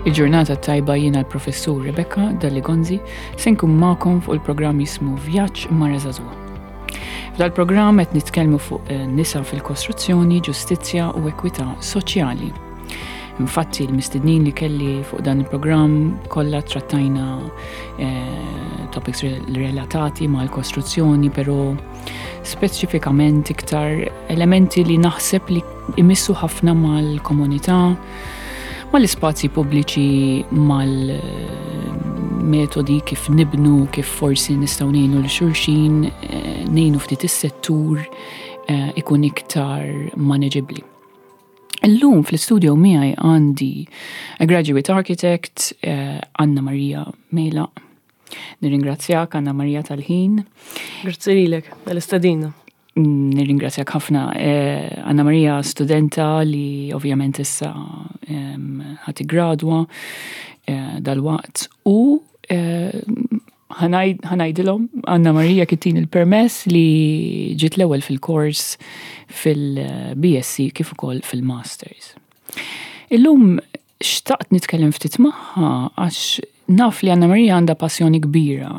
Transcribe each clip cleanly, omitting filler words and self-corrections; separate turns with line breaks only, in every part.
Il-ġurnata tajba jiena l-professur Rebecca Dalli Gonzi se nkun magħkom fuq il-programm jismu Vjaġġ Mara Żagħżugħa. F'dal-programm qed nitkellmu fuq eh, nisa fil-kostruzzjoni, ġustizzja u ekwità soċjali. Infatti l-mistednin li kelli fuq dan il-programm kollha trattajna eh, topics relatati mal-kostruzzjoni, però speċifikament iktar elementi li naħseb li imissu ħafna mal-komunità, mal-ispazji pubbliċi, mal-metodi kif nibnu, kif forsi nistgħu ngħinu l xulxin, eh, ngħinu ftit is-settur eh, ikun iktar manageably. Illum fl-istudio miegħi għandi a graduate architect, eh, Anna Maria Mela. Nirringrazzjak Anna Maria tal-ħin.
Grazzi lilek tal-istedina.
Nirringrazzjak ħafna. Eh, Anna Maria studenta li ovvjament issa ħati gradwa eh, dal-waqt u eh, ħanajdilhom Anna Maria kittin il-permess li ġiet l-ewwel fil-kors fil-BSc kif ukoll fil-Masters. Illum xtaqt nitkellem ftit magħha għax naf li Anna Maria għandha passjoni kbira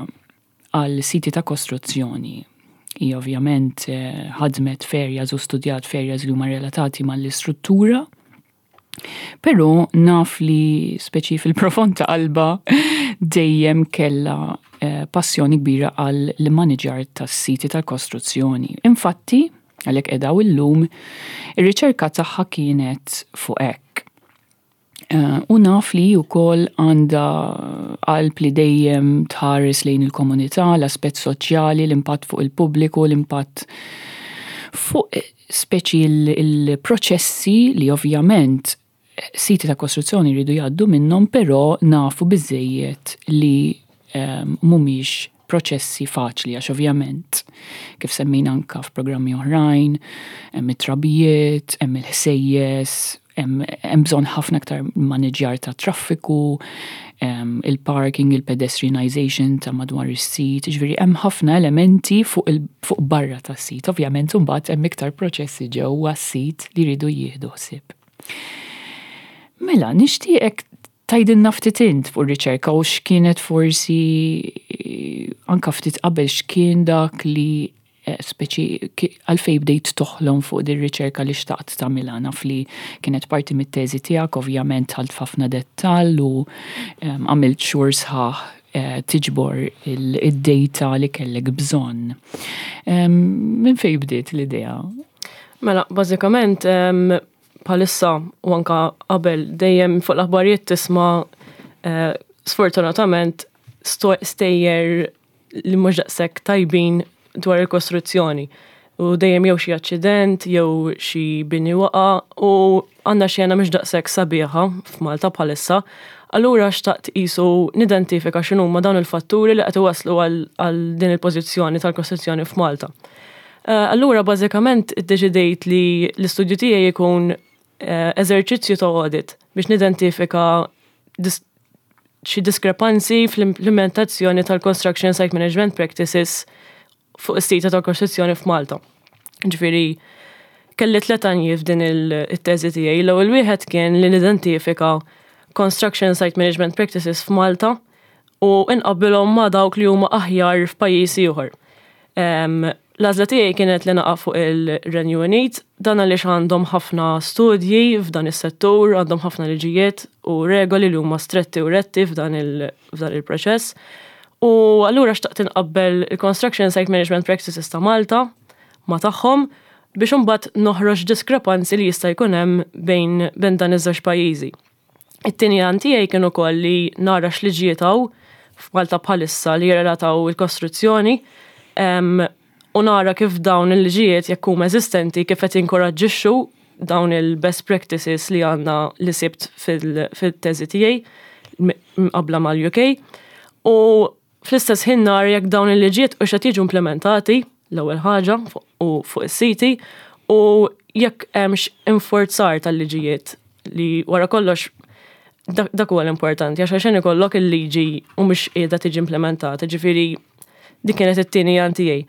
għal siti ta' kostruzzjoni. Hi ovvjament eh, ħadmet f'areas u studjat f'areas li huma relatati mal-istruttura. Però naf li speċi fil-profond ta' qalba dejjem kella eh, passjoni kbira għal l-manager tas-siti tal-kostruzzjoni. Infatti, għalhekk qegħda illum, ir-riċerka tagħha kienet fuq hekk. Eh, u naf li wkoll għandha qalb li dejjem tħares lejn il-komunità, l-aspett soċjali, l-impatt fuq il-pubbliku, l-impatt fuq speċi il-proċessi li ovvjament siti ta' kostruzzjoni jridu jgħaddu minnhom, però nafu biżejjed li ehm, mhumiex proċessi faċli għax ovvjament kif semmejna anka f'programmi oħrajn, hemm it-trabijiet, hemm il-ħsejjes, hemm bżonn ħafna aktar maniġjar ta' traffiku, il-parking, il-pedestrianization ta' madwar is-sit, ġifieri hemm ħafna elementi fuq, fuq barra tas-sit. Ovvjament imbagħad hemm iktar proċessi ġewwa s-sit li jridu jieħdu ħsieb. Mela, nixtieqek tgħidilna ftit int fuq ir-riċerka u x'kienet forsi eh, anka ftit qabel x'kien dak li eh, speċi għalfej bdejt toħlom fuq din riċerka li xtaqt tagħmilha naf li kienet parti mit-teżi tiegħek ovvjament dħalt f'ħafna dettall u għamilt xhur sħaħ eh, tiġbor id-data li kellek bżonn. Minn fejn bdiet l-idea?
Mela, bażikament bħalissa u anka qabel dejjem fuq l-aħbarijiet tisma' eh, sfortunatament stejjer li mhux daqshekk tajbin dwar il-kostruzzjoni. U dejjem jew xi aċċident, jew xi bini waqa' u għandna xena mhux daqshekk sabiħa f'Malta bħalissa. Allura xtaqt qisu nidentifika x'inhuma dawn il-fatturi li qed iwasslu għal din il-pożizzjoni tal-kostruzzjoni f'Malta. Eh, allura bażikament iddeċidejt li l-istudju tiegħi jkun eh, eżerċizzju ta' audit biex nidentifika xi diskrepanzi fl-implementazzjoni tal-Construction Site Management Practices fuq is-sita tal-kostruzzjoni f'Malta. Ġifieri, kelli tlet għanijiet f'din il-teżi tiegħi. L-ewwel wieħed kien li nidentifika Construction Site Management Practices f'Malta u inqabbilhom ma' dawk li huma aħjar f'pajjiż ieħor. L-għażla tiegħi kienet li naqa' fuq il-Renju Unit, dan għaliex għandhom ħafna studji f'dan is-settur, għandhom ħafna liġijiet u regoli li huma stretti u retti f'dan il-proċess. U allura xtaqt inqabbel il-Construction Site Management Practices ta' Malta ma' tagħhom biex imbagħad noħroġ diskrepanzi li jista' jkun hemm bejn bejn dan iż-żewġ pajjiżi. It-tieni għan tiegħi kien ukoll li nara x'liġijiet hawn f'Malta bħalissa li jirrelataw il-kostruzzjoni u nara kif dawn il-liġijiet jekk huma eżistenti kif qed jinkoraġġixxu dawn il-best practices li għandna li sibt fil-teżi tiegħi mqabbla mal-UK u fl-istess ħin nara jekk dawn il-liġijiet u qed jiġu implementati l-ewwel ħaġa u fuq is-siti u jekk hemmx inforzar tal-liġijiet li wara kollox dak huwa l-importanti għax għaxen ikollok il-liġi u mhux qiegħda tiġi implementata, ġifieri dik kienet it-tieni għan tiegħi.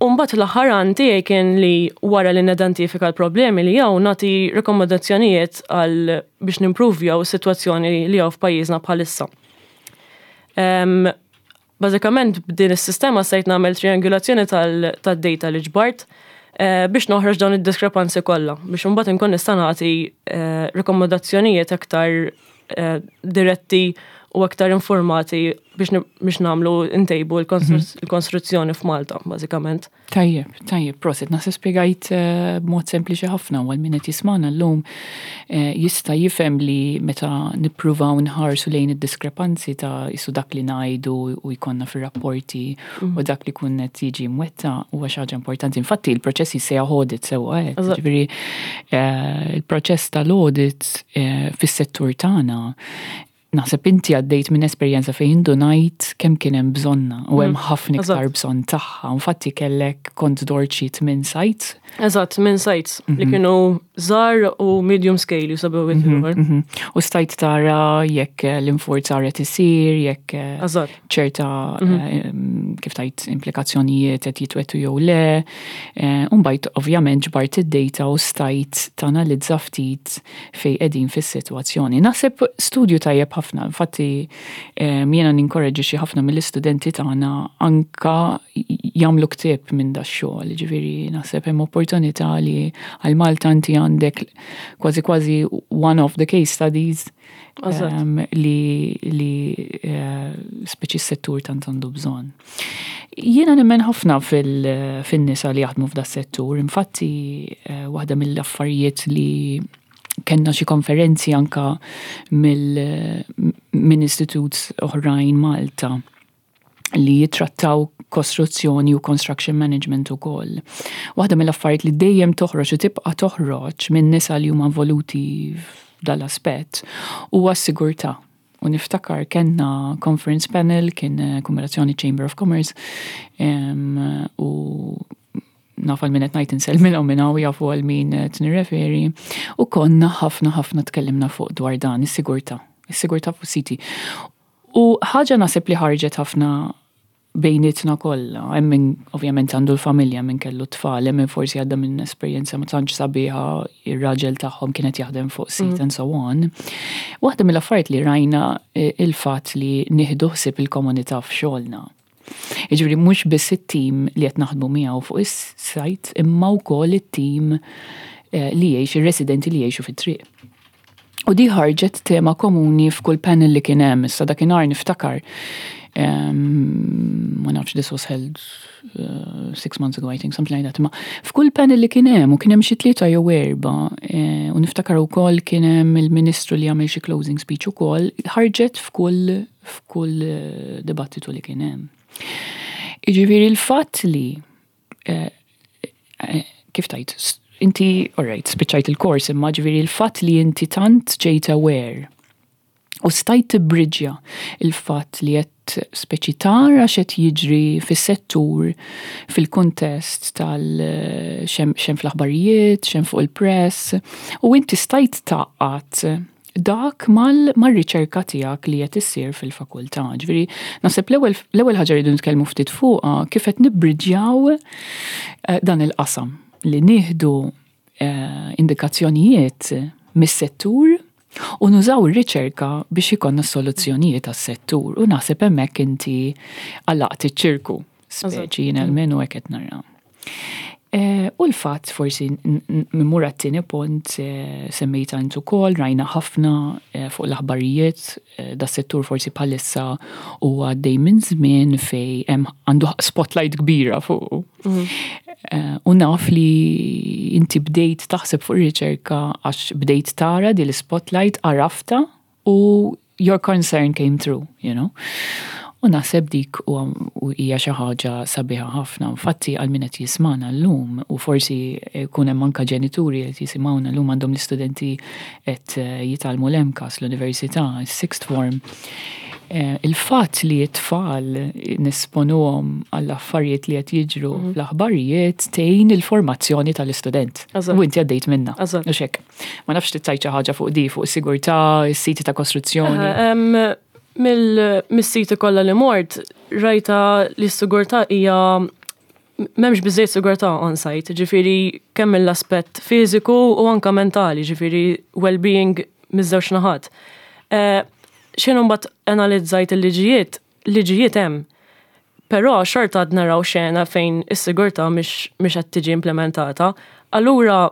U mbagħad l-aħħar għan tiegħi kien li wara li nidentifika l-problemi li hawn nagħti rekomendazzjonijiet għal biex nimprovjaw is-sitwazzjoni li hawn f'pajjiżna bħalissa. Bażikament b'din is-sistema stajt nagħmel triangulazzjoni tad-data li ġbart biex noħroġ dawn id-diskrepanzi kollha biex imbagħad inkun nista' nagħti rekomendazzjonijiet aktar diretti u aktar informati biex nagħmlu ntejbu l-konstruzzjoni f'Malta, bażikament.
Tajjeb, tajjeb, prosit. Naħseb spjegajt b'mod sempliċi ħafna u għal min qed jismagħna llum jista' jifhem li meta nippruvaw nħarsu lejn id-diskrepanzi ta' isu dak li ngħidu u jkollna fir-rapporti u dak li kun qed jiġi mwettaq huwa xi ħaġa importanti. Infatti il-proċess jissejjaħ audit sewwa hekk. Ġifieri il-proċess tal-audit fis-settur tagħna naħseb inti għaddejt minn esperjenza fejn indunajt kemm kien hemm bżonna u hemm ħafna iktar bżonn tagħha. Infatti kellek kont dort xi tmien sites.
Eżatt, tmien sites li kienu żgħar u medium scale jisabu ieħor.
U stajt tara jekk l-infurzar qed isir, jekk ċerta kif tajt implikazzjonijiet qed jitwettu jew le. U mbagħad ovvjament ġbart id-data u stajt tanalizza ftit fej qegħdin fis-sitwazzjoni. Naħseb studju tajjeb ħafna, infatti jiena ninkoraġġi ħafna mill-istudenti tagħna anka jagħmlu ktieb minn da xogħol, ġifieri naħseb hemm opportunità li għal Malta inti għandek kważi kważi one of the case studies li speċi s-settur tant għandu bżonn. Jiena nemmen ħafna fil-nisa li jaħdmu f'da settur, infatti waħda mill-affarijiet li kellna xi konferenzi anka minn istituts oħrajn Malta li jitrattaw kostruzzjoni u construction management u koll. Waħda mill-affarijiet li dejjem toħroġ u tibqa' toħroġ minn nisa li huma involuti f'dal-aspett huwa s-sigurtà. U niftakar kellna conference panel, kien kombinazzjoni Chamber of Commerce, u naf għal min qed ngħid insellmilhom minn hawn jafu għal min qed nirreferi, u konna ħafna ħafna tkellimna fuq dwar dan, is-sigurtà, is-sigurtà fuq siti. U ħaġa naħseb li ħarġet ħafna bejnietna kollha, hemm min ovvjament għandu l-familja, min kellu tfal, hemm min forsi għadda minn esperjenza ma tantx sabiħa, ir-raġel tagħhom kienet jaħdem fuq sit and so on. Waħda mill-affarijiet li rajna il-fatt li nieħdu ħsieb il-komunità f'xogħolna. Jiġifieri mhux biss it-tim li qed naħdmu miegħu fuq is-sajt, imma wkoll it-tim li jgħix, ir-residenti li jgħixu fit-triq. U di ħarġet tema komuni f'kull panel li kien hemm, issa dakinhar niftakar. Ma nafx, this was held 6 months ago, I think, something like that. Ma f'kull panel li kien hemm, u kien hemm xi tlieta jew erba, u niftakar ukoll kien hemm il-ministru li għamel xi closing speech ukoll, ħarġet f'kull dibattitu li kien hemm. Jiġifieri il-fatt li kif tajt, inti, all right, spiċċajt il-kors, imma ġifieri il-fatt li inti tant ġejt aware u stajt tibbriġja il-fatt li qed speċi tara x'qed jiġri fis-settur fil-kuntest tal x'hemm fl-aħbarijiet, x'hemm fuq il-press, u inti stajt tgħaqqad dak mal-riċerka tiegħek li qed issir fil-fakultà. Ġifieri, naħseb l-ewwel ħaġa rridu nitkellmu ftit fuqha kif qed nibbriġjaw dan il-qasam li nieħdu indikazzjonijiet mis-settur u nużaw ir-riċerka biex ikollna soluzzjonijiet għas-settur u naħseb hemmhekk inti għalaqt iċ-ċirku speċi jien almenu hekk qed nara. U l-fatt forsi mmur għat-tieni punt semmejta int ukoll, rajna ħafna fuq l-aħbarijiet, da settur forsi bħalissa huwa għaddej minn żmien fej hemm għandu spotlight kbira fuq. U naf li inti bdejt taħseb fuq ir-riċerka għax bdejt tara di l-spotlight għarafta u your concern came through. U naħseb dik u hija xi ħaġa sabiħa ħafna. Infatti għal min qed jismana llum u forsi jkun hemm anke ġenituri qed jisimgħuna llum għandhom l-istudenti qed jitgħallmu l-MCAST, l-università, is-sixth form. Il-fatt li t-tfal nesponuhom għall-affarijiet li qed jiġru fl-aħbarijiet tgħin il-formazzjoni tal-istudent. U inti għaddejt minna. U xek. Ma nafx tgħid xi ħaġa fuq di, fuq is-sigurtà, is-siti ta' kostruzzjoni.
Mill-siti kollha li mort, rajta li s-sigurtà hija M'hemmx biżżejjed sigurtà on site, ġifieri kemm mill-aspett fiżiku u anka mentali, ġifieri well-being miż-żewġ naħat. Eh, X'inhu mbagħad analizzajt il-liġijiet, liġijiet hemm. Però xorta għad naraw xena fejn is-sigurtà mhix qed tiġi implementata. Allura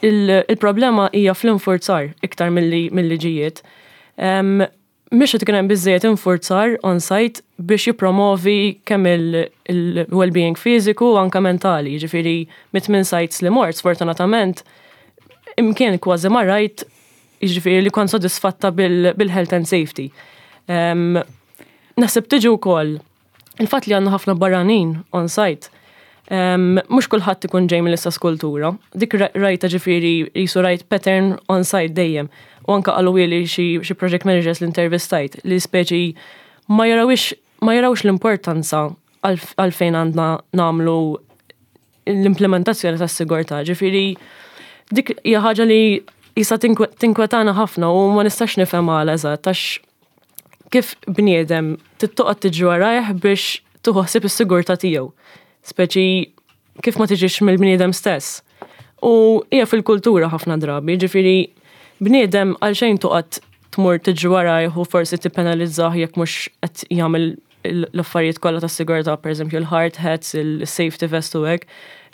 il-problema hija fl-infurzar iktar mill-liġijiet. Mhix qed ikun hemm biżżejjed infurzar on site biex jippromovi kemm il-well-being fiżiku u anke mentali. Jiġifieri mit-tmien sites li mort, sfortunatament, imkien kważi ma rajt jiġifieri li kont sodisfatta bil-health and safety. Naħseb tiġi wkoll il-fatt li għandna ħafna barranin on site. Mhux kulħadd ikun ġej mill-istess kultura. Dik rajta ġifieri jisu rajt pattern on site dejjem. U anka qalu li xi project managers li intervistajt li speċi ma jarawx l-importanza għalfejn għandna nagħmlu l-implementazzjoni tas-sigurtà. Ġifieri dik hija ħaġa li jista' tinkwetana ħafna u ma nistax nifhem għala eżatt, għax kif bniedem tittoqgħod tiġi warajh biex tieħu ħsieb is-sigurtà tiegħu? Speċi kif ma tiġix mill-bniedem stess? U hija fil-kultura ħafna drabi, ġifieri bniedem għalxejn toqgħod tmur tiġi warajh u forsi tippenalizzah jekk mhux qed jagħmel l-affarijiet kollha tas-sigurtà, pereżempju l-hard hats, il-safety vest u hekk.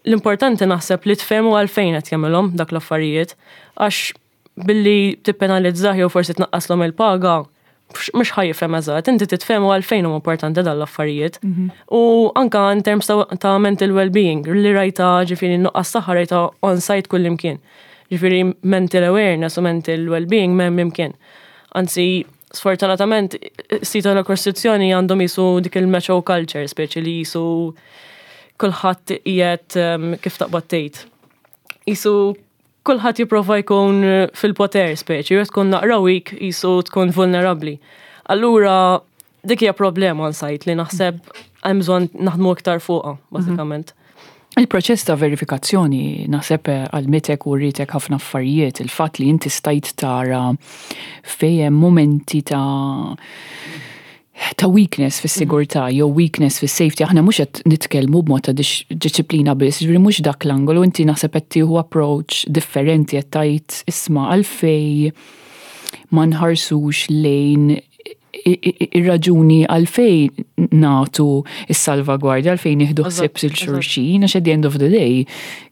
L-importanti naħseb li tfehmu għalfejn qed jagħmilhom dak l-affarijiet, għax billi tippenalizzah jew forsi tnaqqaslhom il-paga, mhux ħa jifhem eżatt, inti titfehmu għalfejn huma importanti dan l-affarijiet. U anka in terms ta' mental well-being, li rajta ġifieri nuqqas saħħa rajta on-site kullimkien. Ġifieri mental awareness u mental well-being m'hemm imkien. Anzi, sfortunatament, sita la kostruzzjoni għandhom jisu dik il-macho culture, speċi li jisu kulħadd qiegħed kif taqbad tgħid. Jisu kulħadd jipprova jkun fil-poter speċi, u tkun naqra weak jisu tkun vulnerabbli. Allura dik hija problema on site li naħseb hemm bżonn naħdmu iktar fuqha, bażikament.
Il-proċess ta' verifikazzjoni naħseb għallmitek u wrietek ħafna affarijiet, il-fatt li inti stajt tara fejn hemm momenti ta' weakness fis-sigurtà jew weakness fis-safety. Aħna mhux qed nitkellmu b'mod ta' disċiplina biss, ġifieri mhux dak l-angolu, inti naħseb qed tieħu approach differenti, qed tgħid, isma', għalfej ma nħarsux lejn ir-raġuni għalfej nagħtu is-salvagwardja, għalfejn nieħdu ħsieb lil xulxin, għax at the end of the day,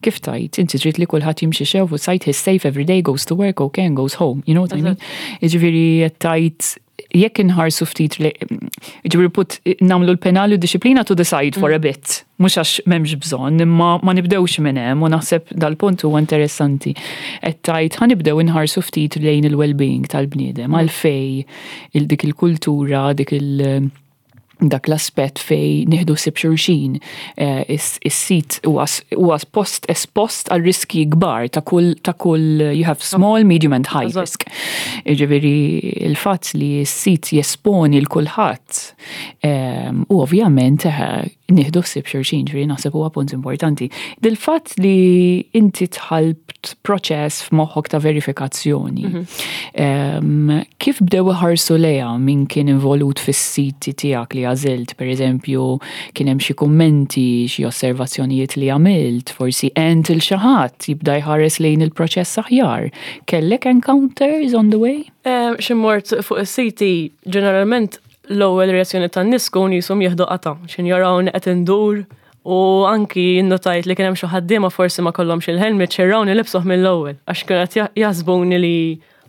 kif tgħid, inti trid li kulħadd jimxi sew fuq site, he's safe every day, goes to work, okay, and goes home. You know what I mean? Ġifieri qed tgħid jekk inħarsu ftit, ġifieri put nagħmlu l-penali u disciplina to the side for a bit, mhux għax m'hemmx bżonn, imma ma nibdewx minn hemm u naħseb dal-punt huwa interessanti. Qed tgħid ħa nibdew inħarsu ftit lejn il-well-being tal-bniedem, għalfej il dik il-kultura, dik il- dak l-aspett fej nieħdu ħsieb xulxin. Is-sit huwa post espost għal riski kbar ta' kull you have small, medium and high risk. Ġifieri il-fatt li s-sit jesponi lil kulħadd u ovvjament nieħdu ħsieb xulxin, ġifieri naħseb huwa punt importanti. Dil-fatt li inti dħalt proċess f'moħħok ta' verifikazzjoni, kif bdew iħarsu lejha min kien involut fis-siti tiegħek li għażilt, per eżempju, kien hemm xi kummenti, xi osservazzjonijiet li għamilt, forsi għent lil xi ħadd jibda jħares lejn il-proċess aħjar? Kellek encounters on the way?
Xi mort fuq is-siti, ġeneralment l-ewwel reazzjoni tan-nies tkun jisom jieħdu qata, x'in jarawni qed indur u anki innotajt li kien hemm xi ħaddiema forsi ma kollhomx il-helmet, x'jarawni libsuh mill-ewwel għax kienu qed jaħsbuni li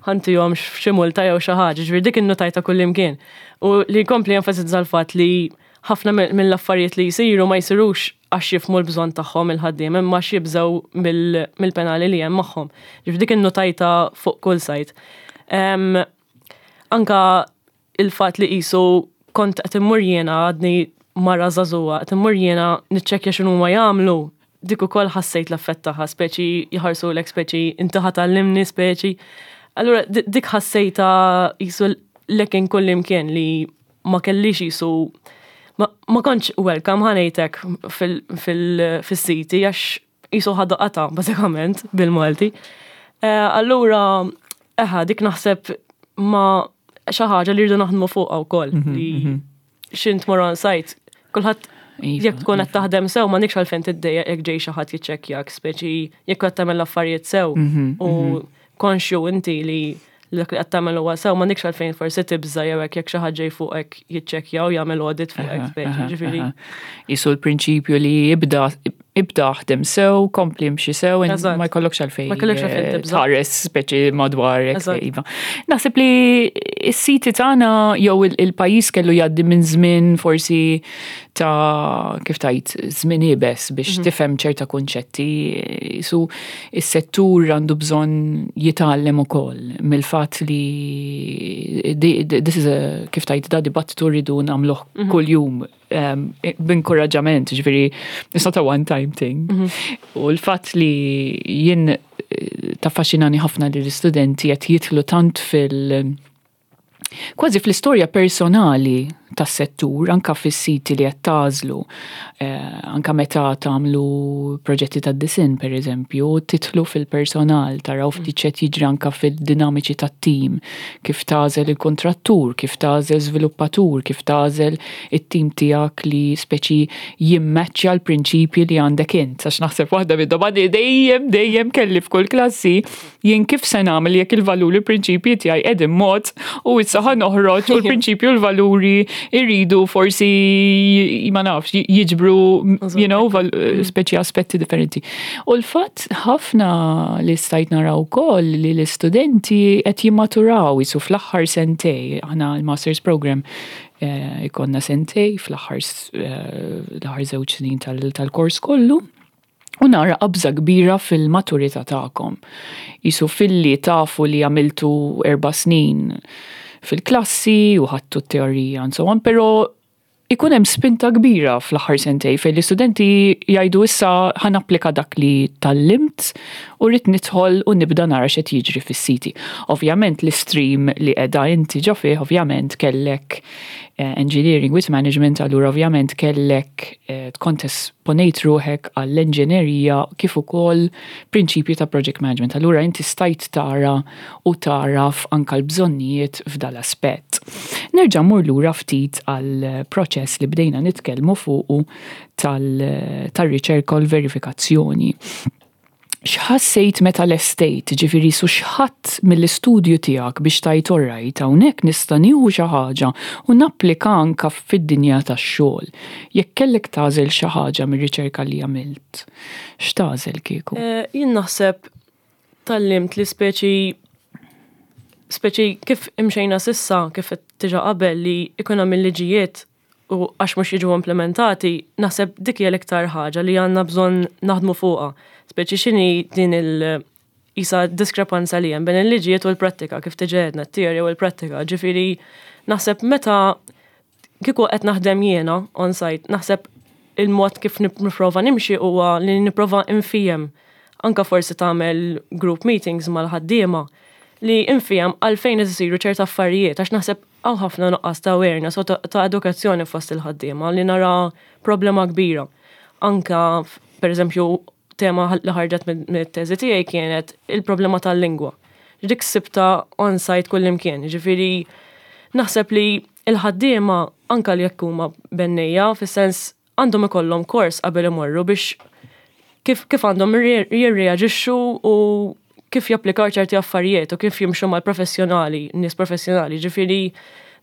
ħa ntihom xi multa jew xi ħaġa, ġifieri dik innotajta kullimkien. U li jkompli jenfasizza l-fatt li ħafna mill-affarijiet li jsiru ma jsirux għax jifhmu l-bżonn tagħhom il-ħaddiem, imma għax jibżgħu mill-penali li hemm magħhom. Ġifieri dik innotajta fuq kull site. Anka il-fatt li qisu kont qed immur jiena, għadni mara żagħżugħa, qed immur jiena niċċekkja x'inhuma jagħmlu, dik ukoll ħassejt l-effett tagħha, speċi jħarsulek speċi inti ħa tgħallimni speċi. Allura dik ħassejta qisu lekin kullimkien li ma kellix qisu ma kontx welcome, ħa ngħidlek, fil-siti għax qisu ħadu qata bażikament bil-Malti. Allura eħa dik naħseb ma xi ħaġa li rridu naħdmu fuqha wkoll li x'int tmur on site kulħadd
Iva,
Jekk tkun qed
iva.
taħdem sew m'għandekx għalfejn tiddejjaq jekk ġej xi ħadd jiċċekkjak, speċi jekk qed tagħmel l-affarijiet sew u konxju inti li dak li qed tagħmel huwa sew m'għandekx għalfejn forsi tibża' jew hekk jekk xi ħadd ġej fuqek jiċċekkja u jagħmel audit fuqek speċi, ġifieri.
Qisu l-prinċipju li ibda ibda aħdem sew, kompli imxi sew, ma jkollokx għalfejn.
Ma jkollokx għalfejn tibża'.
Tħares speċi madwarek. Iva. Naħseb li s-siti tagħna jew il-pajjiż kellu jgħaddi minn żmien forsi ta' kif tajt żmien iebes biex tifhem ċerta kunċetti. Su is-settur għandu bżonn jitgħallem ukoll mill-fatt li this is a kif tajt da dibattitu rridu nagħmluh kuljum b'inkoraġġament, ġifieri it's not a one time thing. U l-fatt li jien taffaxxinani ħafna li l-istudenti qed jidħlu tant fil- kważi fl-istorja personali tas-settur, anka fis-siti li qed tagħżlu, anka meta tagħmlu proġetti tad-disinn pereżempju, tidħlu fil-personal, taraw ftit x'qed jiġri anka fil-dinamiċi tat-tim, kif tagħżel il-kontrattur, kif tagħżel żviluppatur, kif tagħżel it-tim tiegħek li speċi jimmaċċja l-prinċipji li għandek int. Għax naħseb waħda mid-domandi dejjem dejjem kelli f'kull klassi, jien kif se nagħmel jekk il-valuri l-prinċipji tiegħi qegħdin mod u issa ħa noħroġ u l-prinċipju u l-valuri irridu forsi ma nafx jiġbru speċi aspetti differenti. U l-fatt ħafna li stajt naraw ukoll li l-istudenti qed jimmaturaw jisu fl-aħħar sentej, aħna l-Masters Program ikonna sentej fl-aħħar l-aħħar 2 snin tal-kors kollu. U nara qabża kbira fil-maturità tagħkom. Jisu filli tafu li għamiltu 4 snin fil-klassi u ħadtu t-teorija and so on, pero ikun hemm spinta kbira fl-aħħar sentej fejn l-istudenti jgħidu issa ħa napplika dak li tgħallimt u rrid nidħol u nibda nara x'qed jiġri fis-siti. Ovvjament l-istream li qiegħda inti ġo fih, ovvjament kellek engineering with management, allura ovvjament kellek tkun esponejt ruħek għall-enġinerija kif ukoll prinċipji ta' project management. Allura inti stajt tara u taraf anka l-bżonnijiet f'dal-aspett. Nerġa' mmur lura ftit għal proċess li bdejna nitkellmu fuqu tal-riċerka u l-verifikazzjoni. X'ħassejt meta lestejt, ġifieri su x'ħadd mill-istudju tiegħek biex tajt orrajt hawnhekk nista' nieħu xi ħaġa u napplika anka fid-dinja tax-xogħol. Jekk kellek tagħżel xi ħaġa mir-riċerka li għamilt, x'tagħżel kieku?
Jien naħseb tgħallimt li speċi kif imxejna s'issa, kif qed diġà qabel li ikun hemm il-liġijiet u għax mhux jiġu implementati, naħseb dik hija l-iktar ħaġa li għandna bżonn naħdmu fuqha. Speċi x'inhi din il isa diskrepanza li hemm bejn il-liġijiet u l-prattika, kif diġà għedna, t-teorija u l-prattika. Ġifieri naħseb meta kieku qed naħdem jiena on site, naħseb il-mod kif nipprova nimxi huwa li nipprova nfiehem. Anka forsi tagħmel group meetings mal-ħaddiema li nfiehem għalfejn isiru ċerta affarijiet, għax naħseb hawn ħafna nuqqas ta' awareness u ta' edukazzjoni fost il-ħaddiema li nara problema kbira. Anka, per eżempju, tema li ħarġet mit-teżi tiegħi kienet il-problema tal-lingwa. Dik sibta on-site kullimkien, ġifieri naħseb li il-ħaddiema anka li jekk huma bennejja, fis-sens għandhom ikollhom kors qabel imorru biex kif għandhom jirreaġixxu u kif japplikaw ċerti affarijiet u kif jimxu mal-professjonali, nies professjonali. Ġifieri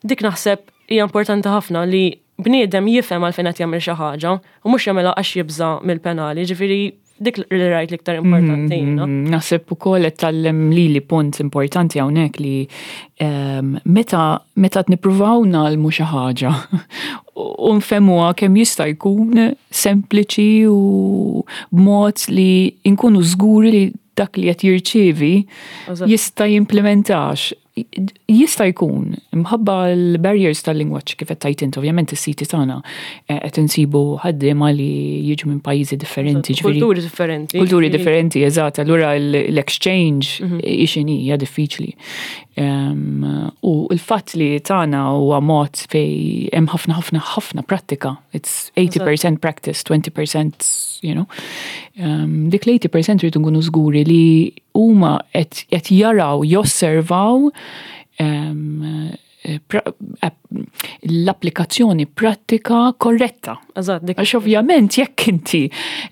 dik naħseb hija importanti ħafna li bniedem jifhem għalfejn qed jagħmel xi ħaġa u mhux jagħmilha għax jibża' mill-penali. Ġifieri dik li rajt l-iktar importanti jiena.
Naħseb ukoll qed tgħallem lili punt importanti hawnhekk li meta nippruvaw nagħlmu xi ħaġa u nfehmuha kemm jista' jkun sempliċi u b'mod li nkunu żguri li dak li qed jirċievi jista' jimplementax. Jista' jkun, imħabba l-barriers tal-lingwaġġ kif qed tgħid int, ovvjament is-siti tagħna qed insibu ħaddiema li jiġu minn pajjiżi differenti, ġifieri
Kulturi differenti.
Kulturi differenti, eżatt. Allura l-exchange x'inhi hija diffiċli. U l-fatt li tagħna huwa mod fej hemm ħafna ħafna ħafna prattika. It's 80% practice, 20%, you know. Dik l-80% rridu nkunu żguri li huma qed jaraw, josservaw. l-applikazzjoni prattika korretta.
Eżatt, dik.
Għax ovvjament jekk inti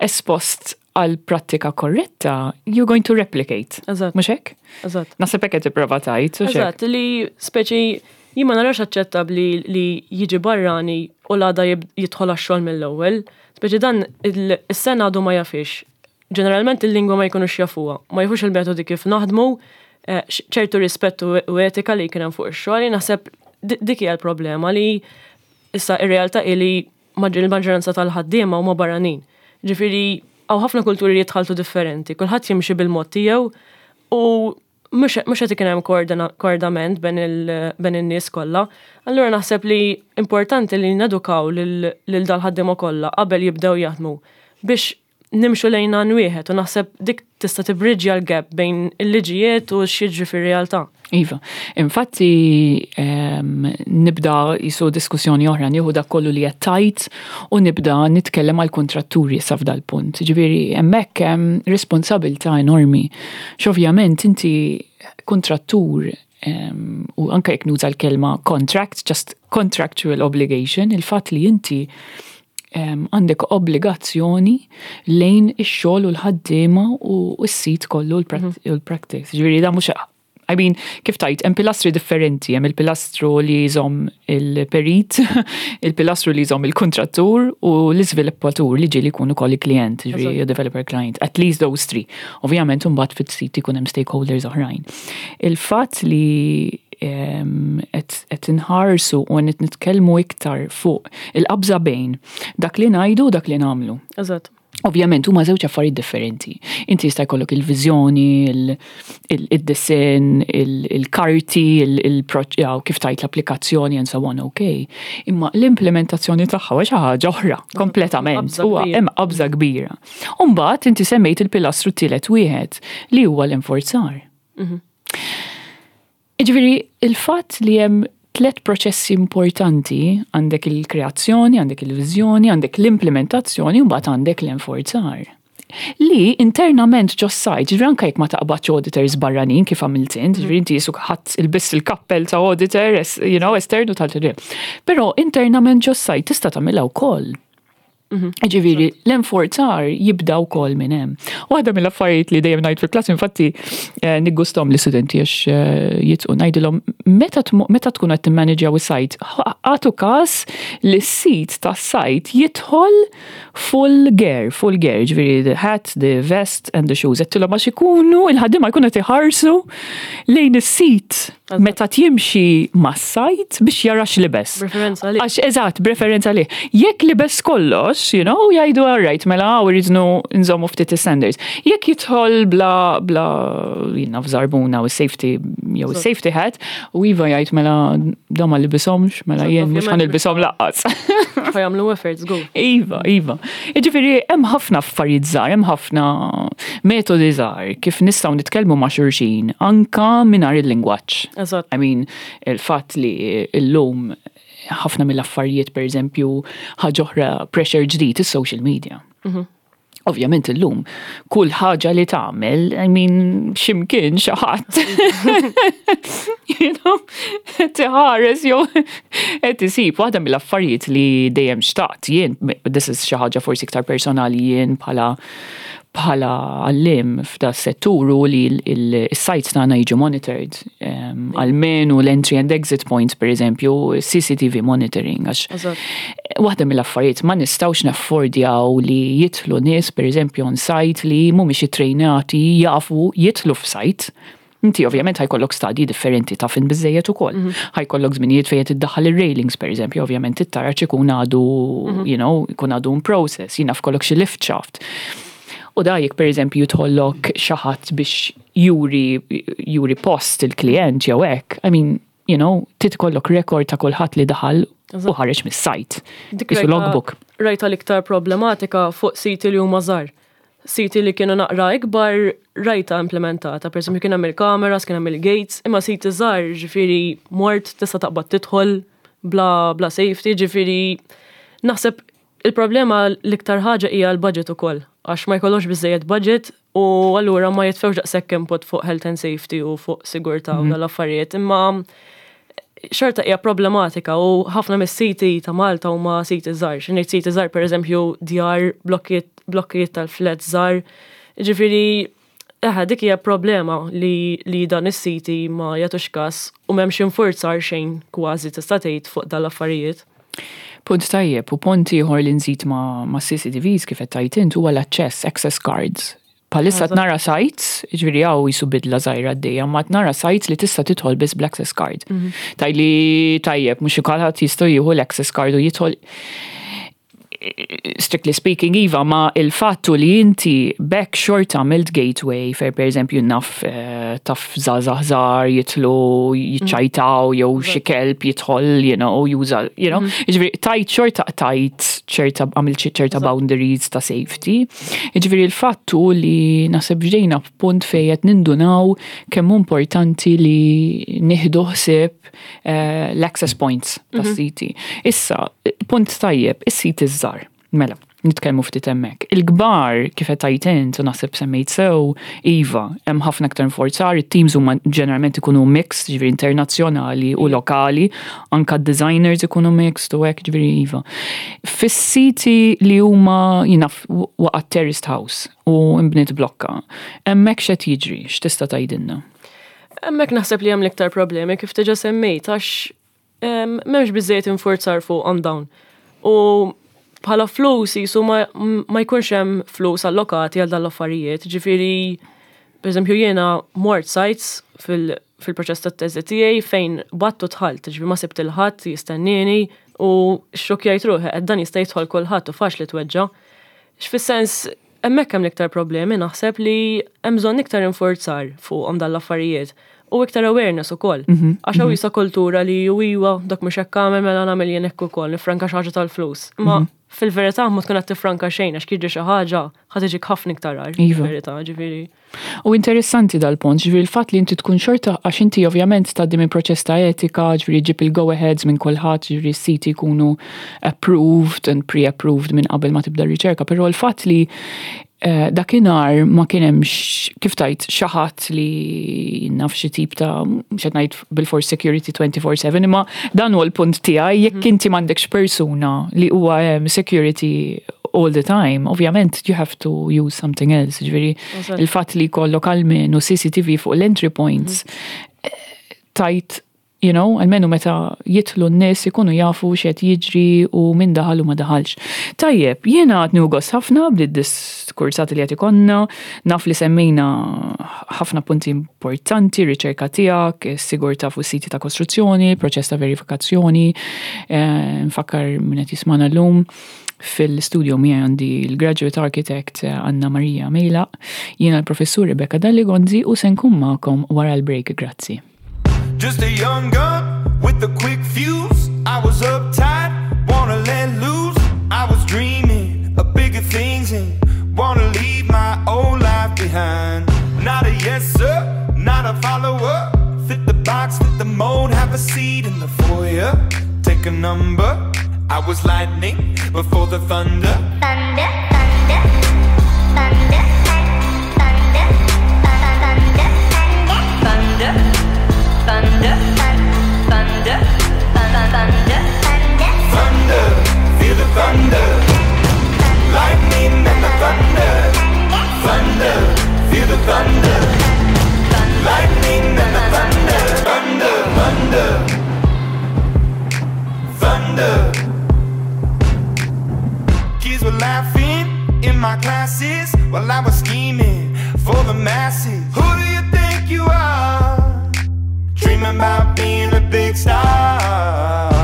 espost għal prattika korretta, you're going to replicate.
Eżatt.
Mhux hekk?
Eżatt.
Naħseb hekk qed tipprova tgħid, hux hekk?
Eżatt, li speċi jien ma narax aċċettabbli li jiġi barrani u l-għada jidħol għax-xogħol mill-ewwel. Speċi dan is-sena għadu ma jafix. Ġeneralment il-lingwa ma jkunux jafuha, ma jafux il-metodi kif naħdmu, ċertu rispett u etika li kien hemm fuq ix-xogħol, jien naħseb dik hija l-problema li issa ir-realtà hi li il-maġġoranza tal-ħaddiema huma barranin. Ġifieri hawn ħafna kulturi li jitħalltu differenti, kulħadd jimxi bil-mod tiegħu u mhux qed ikun hemm koordinament bejn in-nies kollha. Allura naħseb li importanti li nedukaw lil dal-ħaddiema kollha qabel jibdew jaħdmu biex nimxu lejn għan wieħed u naħseb dik tista' tibridġja l-gap bejn il-liġijiet u x'jiġri fir-realtà.
Iva, infatti nibda jisu diskussjoni oħra, nieħu dak kollu li qed tgħid u nibda nitkellem għal kontratturi issa f'dal-punt. Ġifieri hemmhekk hemm responsabilità enormi. X'ovvjament inti kontrattur u anke jekk nuża l-kelma contract, just contractual obligation, il-fatt li inti għandek obbligazzjoni lejn ix-xogħol u l-ħaddiema u s-sit kollu u l-practice. Ġifieri da mhux, I mean, kif tajt, hemm pilastri differenti, hemm il-pilastru li jżomm il-perit, il-pilastru li jżomm il-kontrattur u l-iżviluppatur li ġieli jkunu ukoll il-klient, ġifieri developer client, at least those three. Ovvjament imbagħad fit-sit ikun hemm stakeholders oħrajn. Il-fatt li qed inħarsu u qed nitkellmu iktar fuq il-qabża bejn dak li ngħidu u dak li nagħmlu. Ovvjament huma żewġ affarijiet differenti. Inti jista' jkollok il-viżjoni, il-disinn, il-karti, kif tajt l-applikazzjoni and so on, okay. Imma l-implementazzjoni tagħha huwa xi ħaġa oħra kompletament.
Qabża
Huwa
kbira.
hemm qabża kbira. U mbagħad inti semmejt il-pilastru tielet wieħed li huwa l-enforzar. Jiġifieri, il-fatt li hemm tliet proċessi importanti, għandek il-kreazzjoni, għandek il-viżjoni, għandek l-implementazzjoni, u mbagħad għandek l-enforzar. Li internament ġo site, ġifieri anke jekk ma taqbadx auditors barranin kif għamilt int, ġifieri inti jisuk ħadd ilbiss il-kappell ta' auditor, esternu tal-ġifieri. Però internament ġo site tista' tagħmilha wkoll. Ġifieri, l-enforzar jibda wkoll minn hemm. Waħda mill-affarijiet li dejjem ngħid fil-klass, infatti niggustom l-istudenti għax jitqu ngħidilhom meta tkun qed timmanagjaw is-site, għatu każ li s-sit tas-site jidħol full gear, full gear, ġifieri the hat, the vest and the shoes. Għedtilhom għax ikunu il-ħaddiema jkunu qed iħarsu lejn is-sit meta tjimxi mas-site biex jara x'libes.
Preferenza għalih.
Għax eżatt, preferenza għalih. Jekk libes kollox, jgħidu all right, mela hawn irridu nżommu ftit standards. Jekk jidħol bla jiena f'żarbuna u safety jew safety hat, u iva jgħid mela da ma libishomx, mela jien mhux ħanilbishom laqqas.
Ħa jagħmlu efforts, go.
Iva, iva. Jiġifieri hemm ħafna affarijiet żgħar, hemm ħafna metodi żgħar kif nistgħu nitkellmu ma' xulxin anka mingħajr il-lingwaġġ. I mean, il-fatt li llum ħafna mill-affarijiet, per eżempju, ħaġa oħra pressure ġdid, is-social media. Ovvjament illum, kull ħaġa li tagħmel, I mean, x'imkien xi ħadd. You know, tiħares jew qed isib waħda mill-affarijiet li dejjem xtaqt jien, this is xi ħaġa forsi iktar personali jien bħala għallim f'da settur u li il-sites tagħna jiġu monitored, almenu l-entry and exit points, per eżempju, CCTV monitoring, għax waħda mill-affarijiet ma nistgħux naffordjaw li jidħlu nies, per eżempju, on site li mhumiex ittrejnati jafu jidħlu f'site. Inti ovvjament ħa jkollok stadji differenti ta' fin biżejjed ukoll. Ħa jkollok żminijiet fejn qed iddaħħal ir-railings, per eżempju, ovvjament it-taraġ ikun għadu, ikun għadu in process, jien naf kollok xi lift shaft. U da jekk per eżempju jidħollok xi ħadd biex juri post il-klient jew hekk, I mean, trid ikollok rekord ta' kulħadd li daħal u ħareġ mis-sajt.
Dik
Isu logbook.
rajta l-iktar problematika fuq siti li huma żgħar. Siti li kienu naqra ikbar rajta implementata, per eżempju kien hemm il-kameras, kien hemm il-gates, imma siti żgħar ġifieri mort tista' taqbad tidħol bla safety, ġifieri naħseb il-problema l-iktar ħaġa hija l-budget ukoll, għax ma jkollhomx biżejjed budget u allura ma jitfewx daqshekk input fuq health and safety u fuq sigurtà u dal-affarijiet, imma Xorta hija problematika u ħafna mis-siti ta' Malta huma siti żgħar. Xi ngħid siti żgħar, pereżempju djar, blokkijiet tal-flat żgħar. Ġifieri eħe, dik hija problema li dan is-siti ma jagħtux każ u m'hemmx infurzar xejn kważi, tista' tgħid, fuq dan l-affarijiet.
Punt tajjeb, u punt ieħor li nżid ma' CCTVs, kif qed tgħid int, huwa l-aċċess, access cards. Bħalissa nara sites, ġifieri hawn jisu bidla żgħira għaddejja, ma nara sites li tista' tidħol biss bl-access card. Tgħidli tajjeb, mhux kulħadd jistgħu jieħu l-access card u jidħol. Strictly speaking, iva, ma il-fattu li inti bekk xorta għamilt gateway fejn, per eżempju, naf taf żgħażagħ żgħar jitilgħu jiċċajtaw jew xi kelb jidħol, juża, Ġifieri tajt xorta tajt ċerta, għamilt xi ċerta boundaries ta' safety. Ġifieri il-fattu li naħseb ġejna f'punt fejn qed nindunaw kemm hu importanti li nieħdu ħsieb l-access points tas-siti. Issa, punt tajjeb, is-siti żgħar. Mela, nitkellmu ftit hemmhekk. Il-kbar, kif qed tgħid int u naħseb semmejt sew, iva, hemm ħafna aktar infurzar, it-teams huma ġeneralment ikunu mixed, ġifieri internazzjonali u lokali, anka designers ikunu mixed u hekk, ġifieri iva. Fis-siti li huma jina waqgħet terraced house u imbniet blokka, hemmhekk x'qed jiġri, x'tista' tgħidilna?
Hemmhekk naħseb li hemm l-iktar problemi, kif diġà semmejt, għax m'hemmx biżejjed infurzar fuqhom dawn. U bħala flus jisu ma jkunx hemm flus allokati għal dan l-affarijiet. Ġifieri, per eżempju, jiena mort sites fil-proċess tat-teżi tiegħi fejn battu dħalt, ġifieri ma sibt il-ħadd jistennini u xokjajt ruħi qed dan jista' jidħol kulħadd u faċli tweġġa'. X'fis-sens, hemmhekk hemm l-iktar problemi, naħseb li hemm bżonn iktar infurzar fuqhom dan l-affarijiet u iktar awareness ukoll. Għax hawn jisa kultura li ju iwa dak mhux hekk għamel, mela nagħmel jien hekk ukoll, nifranka xi ħaġa tal-flus. Ma fil-verità ma tkun qed tifranka xejn, għax jiġri xi ħaġa, ħa tiġik ħafna iktar agħar. Fil-verità, ġifieri.
U interessanti dal-punt, ġifieri il-fatt li inti tkun xorta, għax inti ovvjament tgħaddi minn proċess ta' etika, ġifieri ġib il-go-aheads minn kulħadd, ġifieri s-siti jkunu approved and pre-approved minn qabel ma tibda r-riċerka, però l-fatt li dakinhar ma kien hemmx, kif tajt, xi ħadd li naf xi tip ta', mhux qed ngħid bil-force security 24/7, imma dan huwa l-punt tiegħi, jekk inti m'għandekx persuna li huwa hemm security all the time, ovvjament you have to use something else, ġifieri il-fatt li jkollok almenu CCTV fuq l-entry points, tajt, almenu meta jidħlu n-nies ikunu jafu x'qed jiġri u min daħal u ma daħalx. Tajjeb, jiena għad nieħu gost ħafna bid-diskursati li qed ikollna, naf li semmejna ħafna punti importanti, riċerka tiegħek, is-sigurtà fuq siti ta' kostruzzjoni, proċess ta' verifikazzjoni, nfakkar min qed jismana llum. Fil-studio miegħi għandi l-graduate architect Anna Maria Mejlaq, jiena l-professur Rebecca Dalli Gonzi u se nkun magħkom wara l-break, grazzi.
Just a young gun with a quick fuse. I was uptight, wanna let loose. I was dreaming of bigger things and wanna leave my old life behind. Not a yes sir, not a follower. Fit the box, fit the mold, have a seat in the foyer. Take a number. I was lightning before the thunder.
Thunder, thunder, thunder, thunder, thunder,
thunder, thunder, thunder, thunder, thunder,
thunder, feel the thunder, lightning and the thunder, thunder, feel the thunder, lightning and the thunder, thunder, thunder, thunder. Kids were laughing in my classes while I was scheming for the masses. Who do you think you are? Dreaming about being a big star.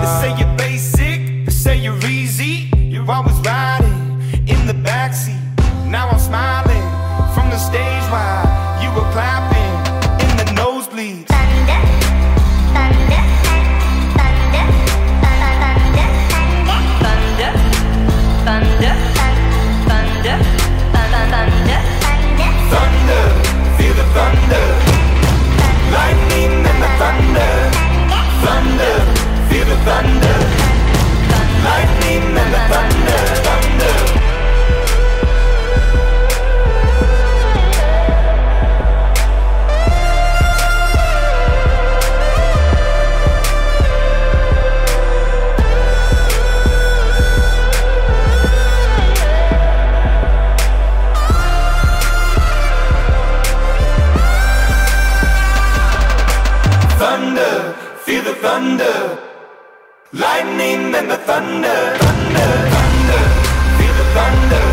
They say you're basic, they say you're easy. You're always riding in the backseat. Now I'm smiling from the stage while you were clapping in the nosebleeds.
Thunder, thunder, thunder, thunder,
thunder, thunder, thunder, thunder,
thunder, feel the thunder, lightning and the thunder, thunder, feel the thunder, lightning and the thunder, thunder. thunder. Lightning and the thunder, thunder, thunder. Feel the thunder.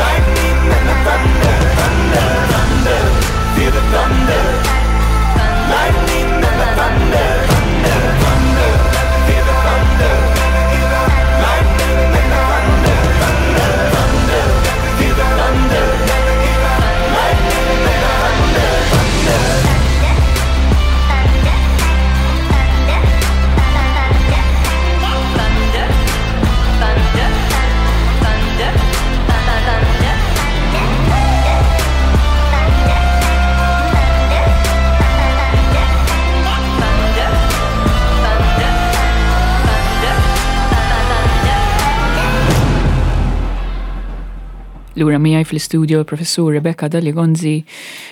Lightning and the thunder, thunder, thunder. Feel the thunder. Lightning and the thunder, thunder, thunder. Feel the thunder. Lightning and the thunder, thunder, thunder. Feel the thunder. Lightning and the thunder, thunder.
Thunder, thunder, thunder, thunder, thunder, thunder, thunder, thunder.
Lura miegħi fl-istudio il-professur Rebecca Dalli Gonzi,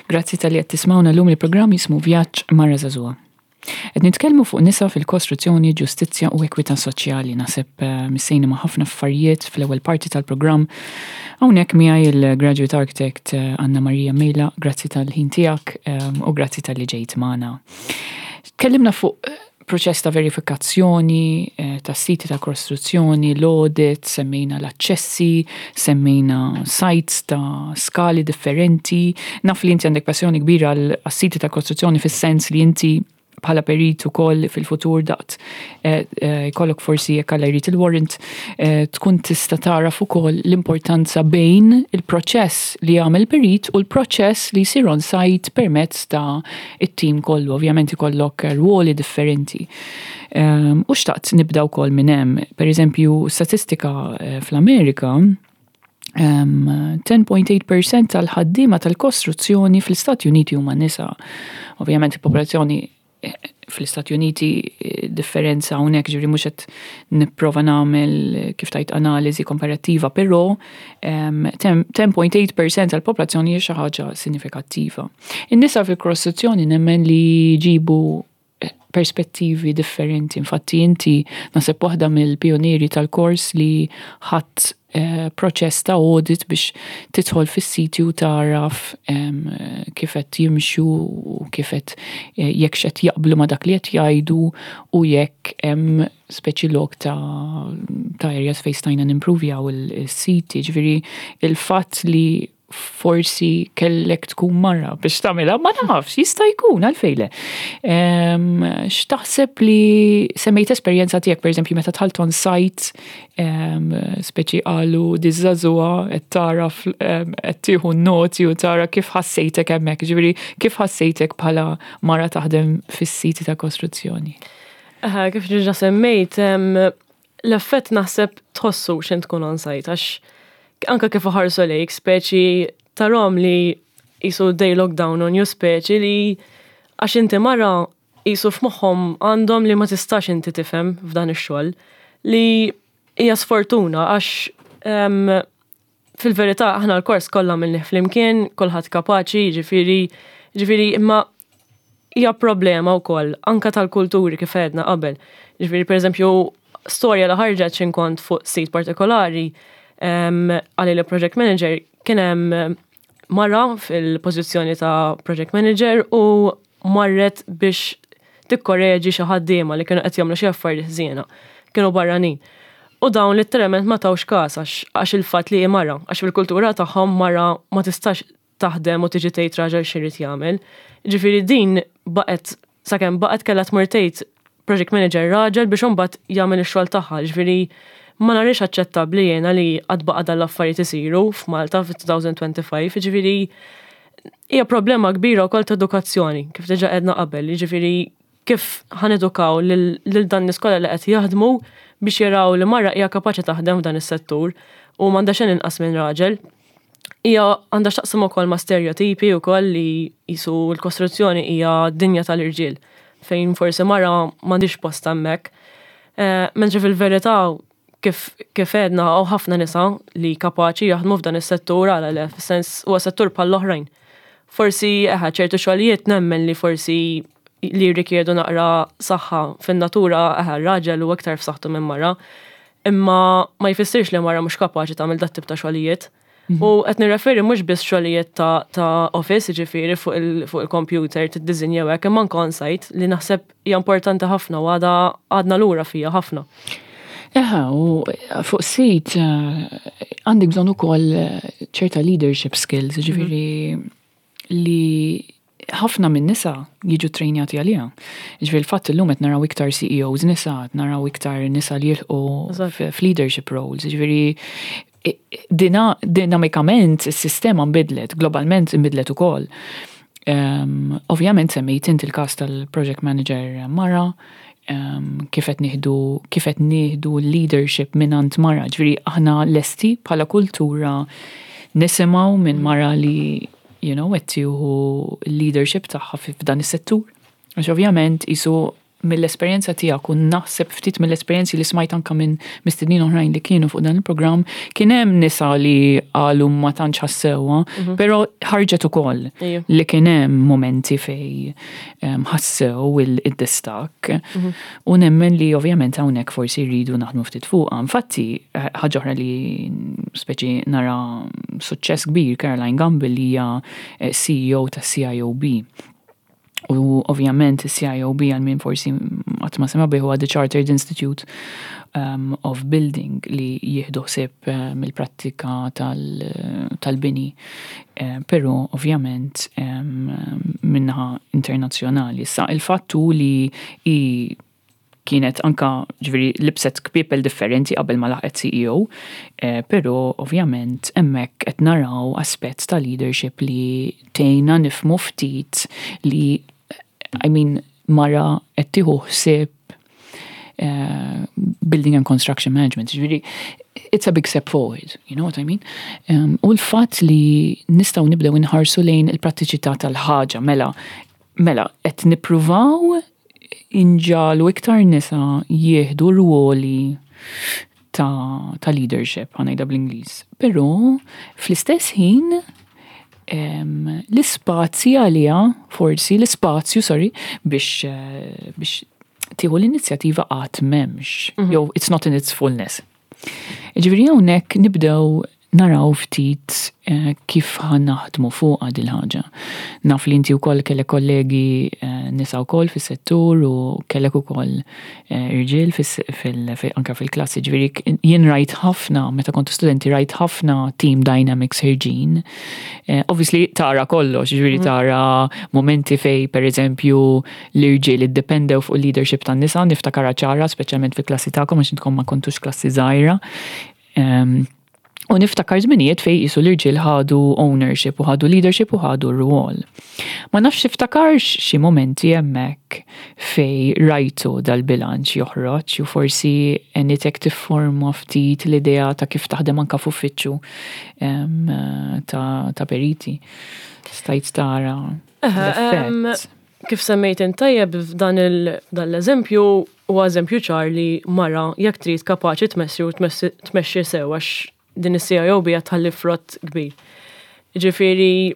grazzi talli qed tismgħuna llum il-programm jismu Vjaġġ Mara Żagħżugħa. Qed nitkellmu fuq nisa fil-kostruzzjoni, ġustizzja u ekwità soċjali. Naħseb missejna ma' ħafna affarijiet fl-ewwel parti tal-programm. Hawnhekk miegħi il-graduate architect Anna Maria Mejla, grazzi tal-ħin tiegħek u grazzi talli ġejt magħna. Tkellimna fuq proċess ta' verifikazzjoni ta' siti ta' kostruzzjoni, l-audit, semmejna l-aċċessi, semmejna sites ta' skali differenti. Naf li inti għandek passjoni kbira għal siti ta' kostruzzjoni fis-sens li inti bħala perit ukoll fil-futur daqt jkollok forsi jekk Alla jrid il-warrant tkun tista' taraf ukoll l-importanza bejn il-proċess li jagħmel perit u l-proċess li jsir on site permezz ta' it-tim kollu. Ovvjament ikollok ruoli differenti. U xtaqt nibda wkoll minn hemm. Per eżempju, statistika fl-Amerika, 10.8% tal-ħaddiema tal-kostruzzjoni fl-Istati Uniti huma nisa. Ovvjament il-popolazzjoni fl-Istati Uniti differenza hawnhekk ġifieri mhux qed nipprova nagħmel kif tajt analiżi komparattiva, però 10.8% tal-popolazzjoni hija xi ħaġa sinifikattiva. In-nisa fil-kostruzzjoni nemmen li jġibu perspettivi differenti. Infatti inti naħseb waħda mill-pionieri tal-kors li ħadd proċess ta' audit biex tidħol fis-siti u taraf kif qed jimxu u kif qed jekk x'qed jaqblu ma' dak li qed jgħidu u jekk hemm speċi lok ta' areas fejn stajna nimprovjaw il-siti. Ġifieri il-fatt li forsi kellek tkun mara biex tagħmilha, ma nafx, jista' jkun għalfejn le. X'taħseb li semmejt esperjenza tiegħek, pereżempju, meta dħalt on site, speċi qalu diż-żagħżugħa qed tara qed tieħu noti u tara kif ħassejtek hemmhekk, ġifieri kif ħassejtek bħala mara taħdem fis-siti ta' kostruzzjoni?
Kif ġa semmejt, l-effett naħseb tħossu x'int tkun on site, għax anka kif ħarsu lejk, speċi tarom li jisu they look down on you, speċi li għax inti mara jisu f'moħħom għandhom li ma tistax inti tifhem f'dan ix-xogħol li hija sfortuna għax fil-verità aħna l-kors kollha minnih flimkien, kulħadd kapaċi, ġifieri imma hija problema wkoll anka tal-kulturi kif għedna qabel. Ġifieri pereżempju storja li ħarġet x'in kont fuq sit partikolari għalli li project manager kien hemm mara fil-pożizzjoni ta' project manager u marret biex tikkoreġi xi ħaddiema li kienu qed jagħmlu xi affarijiet ħżiena. Kienu barranin. U dawn literalment ma tawx każ għax il-fatt li hi mara, għax fil-kultura tagħhom mara ma tistax taħdem u tiġi tgħid raġel x'irid jagħmel. Ġifieri din baqgħet sakemm baqgħet kellha tmur tgħid project manager raġel biex imbagħad jagħmel ix-xogħol tagħha. Ġifieri ma narix aċċettabbli jiena li għad baqa' dan l-affarijiet isiru f'Malta fit-2025, ġifieri hija problema kbira wkoll ta' edukazzjoni, kif diġà għedna qabel, ġifieri kif ħa nedukaw lil dan nies kollha li qed jaħdmu biex jaraw li mara hija kapaċi taħdem f'dan is-settur u m'għandha xejn inqas minn raġel. Hija għandha x'taqsam ukoll ma' stereotipi wkoll li jisu l-kostruzzjoni hija dinja tal-irġiel fejn forsi mara m'għandix post hemmhekk. Mentri fil-verità kif għedna hawn ħafna nisa li kapaċi jaħdmu f'dan is-settur għala le, fis-sens huwa settur bħall-oħrajn. Forsi eħe ċertu xogħlijiet nemmen li forsi li jirrikjedu naqra saħħa fin-natura eħe raġel u aktar f'saħħtu minn mara, imma ma jfissirx li mara mhux kapaċi tagħmel dat tip ta' xogħlijiet. U qed nirreferi mhux biss xogħlijiet ta' office, ġifieri fuq il-computer tiddisinja hekk, imma anke on-site li naħseb hija importanti ħafna u għadha għadna lura fija ħafna.
Eħa, u fuq sit għandek bżonn ukoll ċerta leadership skills, ġifieri li ħafna minn nisa jiġu trejnjati għaliha. Ġifieri l-fatt illum qed naraw iktar CEOs nisa, qed naraw iktar nisa li jilħqu f'leadership roles. Ġifieri dinamikament is-sistema nbidlet, globalment nbidlet ukoll. Ovvjament semmejt inti il-każ tal-project manager mara, kif qed nieħdu leadership minn mara, ġifieri aħna lesti bħala kultura nisimgħu minn mara li qed tieħu leadership tagħha f'dan is-settur. Għax ovvjament isu mill-esperjenza tiegħek u naħseb ftit mill-esperjenzi li smajt anka minn mistednin oħrajn li kienu fuq dan il-programm, kien hemm nisa li qalu ma tantx ħassewha, però ħarġet ukoll li kien hemm momenti fej ħassew il-distakk. U nemmen li ovvjament hawnhekk forsi rridu naħdmu ftit fuqha. Infatti, ħaġa oħra li speċi nara suċċess kbir, Caroline Gamble li hija CEO ta' CIOB. U ovvjament il-CIOB, għal min forsi qatt ma sema bih, huwa the Chartered Institute of Building li jieħdu ħsieb mill-prattika tal-bini. Però ovvjament min-naħa internazzjonali. Sa il-fattu li i kienet anka, ġifieri, libset kpiepel differenti qabel ma laħqet CEO, però ovvjament hemmhekk qed naraw aspett ta' leadership li tgħinna nifhmu ftit li, I mean, mara qed tieħu ħsieb building and construction management. Ġifieri, it's a big step forward, you know what I mean? U l-fatt li nistgħu nibdew inħarsu lejn il-prattiċità tal-ħaġa, mela, qed nippruvaw inġagħlu iktar nisa jieħdu ruoli ta' leadership, ħa ngħidha bl-Ingliż. Però fl-istess ħin l-ispazji għalija, forsi l-ispazju, sorry, biex tieħu l-inizjattiva għad m'hemmx, jew it's not in its fullness. Ġifieri hawnhekk nibdew naraw ftit kif ħa naħdmu fuq dil-ħaġa. Naf li inti wkoll kellek kollegi nisa wkoll fis-settur u kellek ukoll irġiel anka fil-klassi. Ġifieri jien rajt ħafna, meta kontu studenti, rajt ħafna team dynamics ħerġin. Obviously tara kollox, ġifieri tara momenti fej, per eżempju, l-irġiel iddependew fuq il-leadership tan-nisa, niftakara ċara, speċjalment fil-klassi tagħkom, għax intkom ma kontux klassi żgħira. U niftakar żminijiet fej jisu l-irġiel ħadu ownership u ħadu leadership u ħadu r-rwol. Ma nafx tiftakarx xi momenti hemmhekk fej rajtu dal-bilanċ joħroġ u forsi għenitek tifforma ftit l-idea ta' kif taħdem anka f'uffiċċju ta' periti. Stajt tara l-effett.
Kif semmejt tajjeb f'dan dan l-eżempju u eżempju ċar li mara jekk trid kapaċi tmexxi u tmexxi sew, għax din is-CIOB qed tħalli frott kbir. Ġifieri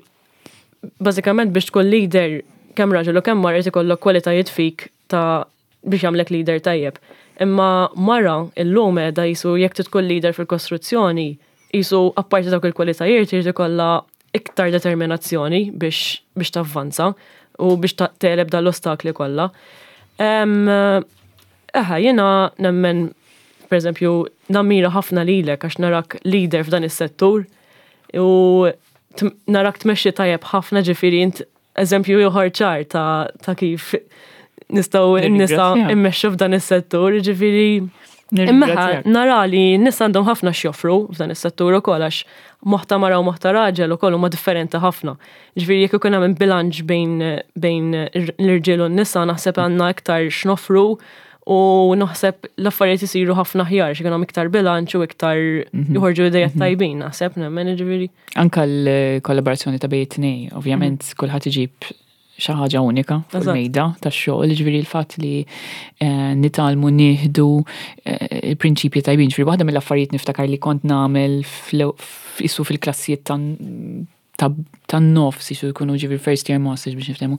bażikament biex tkun leader, kemm raġel u kemm mara, jrid ikollok kwalitajiet fik ta' biex jagħmlek leader tajjeb. Imma mara illum qiegħda jisu jekk tkun leader fil-kostruzzjoni, jisu apparti dawk il-kwalitajiet jrid ikollha iktar determinazzjoni biex tavvanza u biex tegħleb dal-ostakli kollha. Eħa, jiena nemmen, per eżempju, nammira ħafna lilek għax narak leader f'dan is-settur u narak tmexxi tajjeb ħafna, ġifieri int eżempju ieħor ċar ta' kif nistgħu n-nisa immexxu f'dan is-settur, ġifieri imma
Nirringrazzjak.
nara li n-nisa għandhom ħafna x'joffru f'dan is-settur ukoll, għax moħħ ta' mara u moħħ ta' raġel ukoll huma differenti ħafna. Ġifieri jekk ikun hemm bilanċ bejn l-irġiel u n-nisa, naħseb għandna iktar x'noffru u naħseb l-affarijiet isiru ħafna aħjar x'ikun hemm iktar bilanċ u iktar joħorġu idejat tajbin, naħseb nemmen ġifieri.
Anka l-kollaborazzjoni ta' bejn it-tnejn, ovvjament kulħadd iġib xi ħaġa unika fuq il-mejda tax-xogħol, ġifieri l-fatt li nitgħallmu nieħdu il-prinċipji tajbin. Ġifieri waħda mill-affarijiet niftakar li kont nagħmel isu fil-klassijiet ta' tan-nofs jisu jkunu ġifieri first year masters biex niftehmu,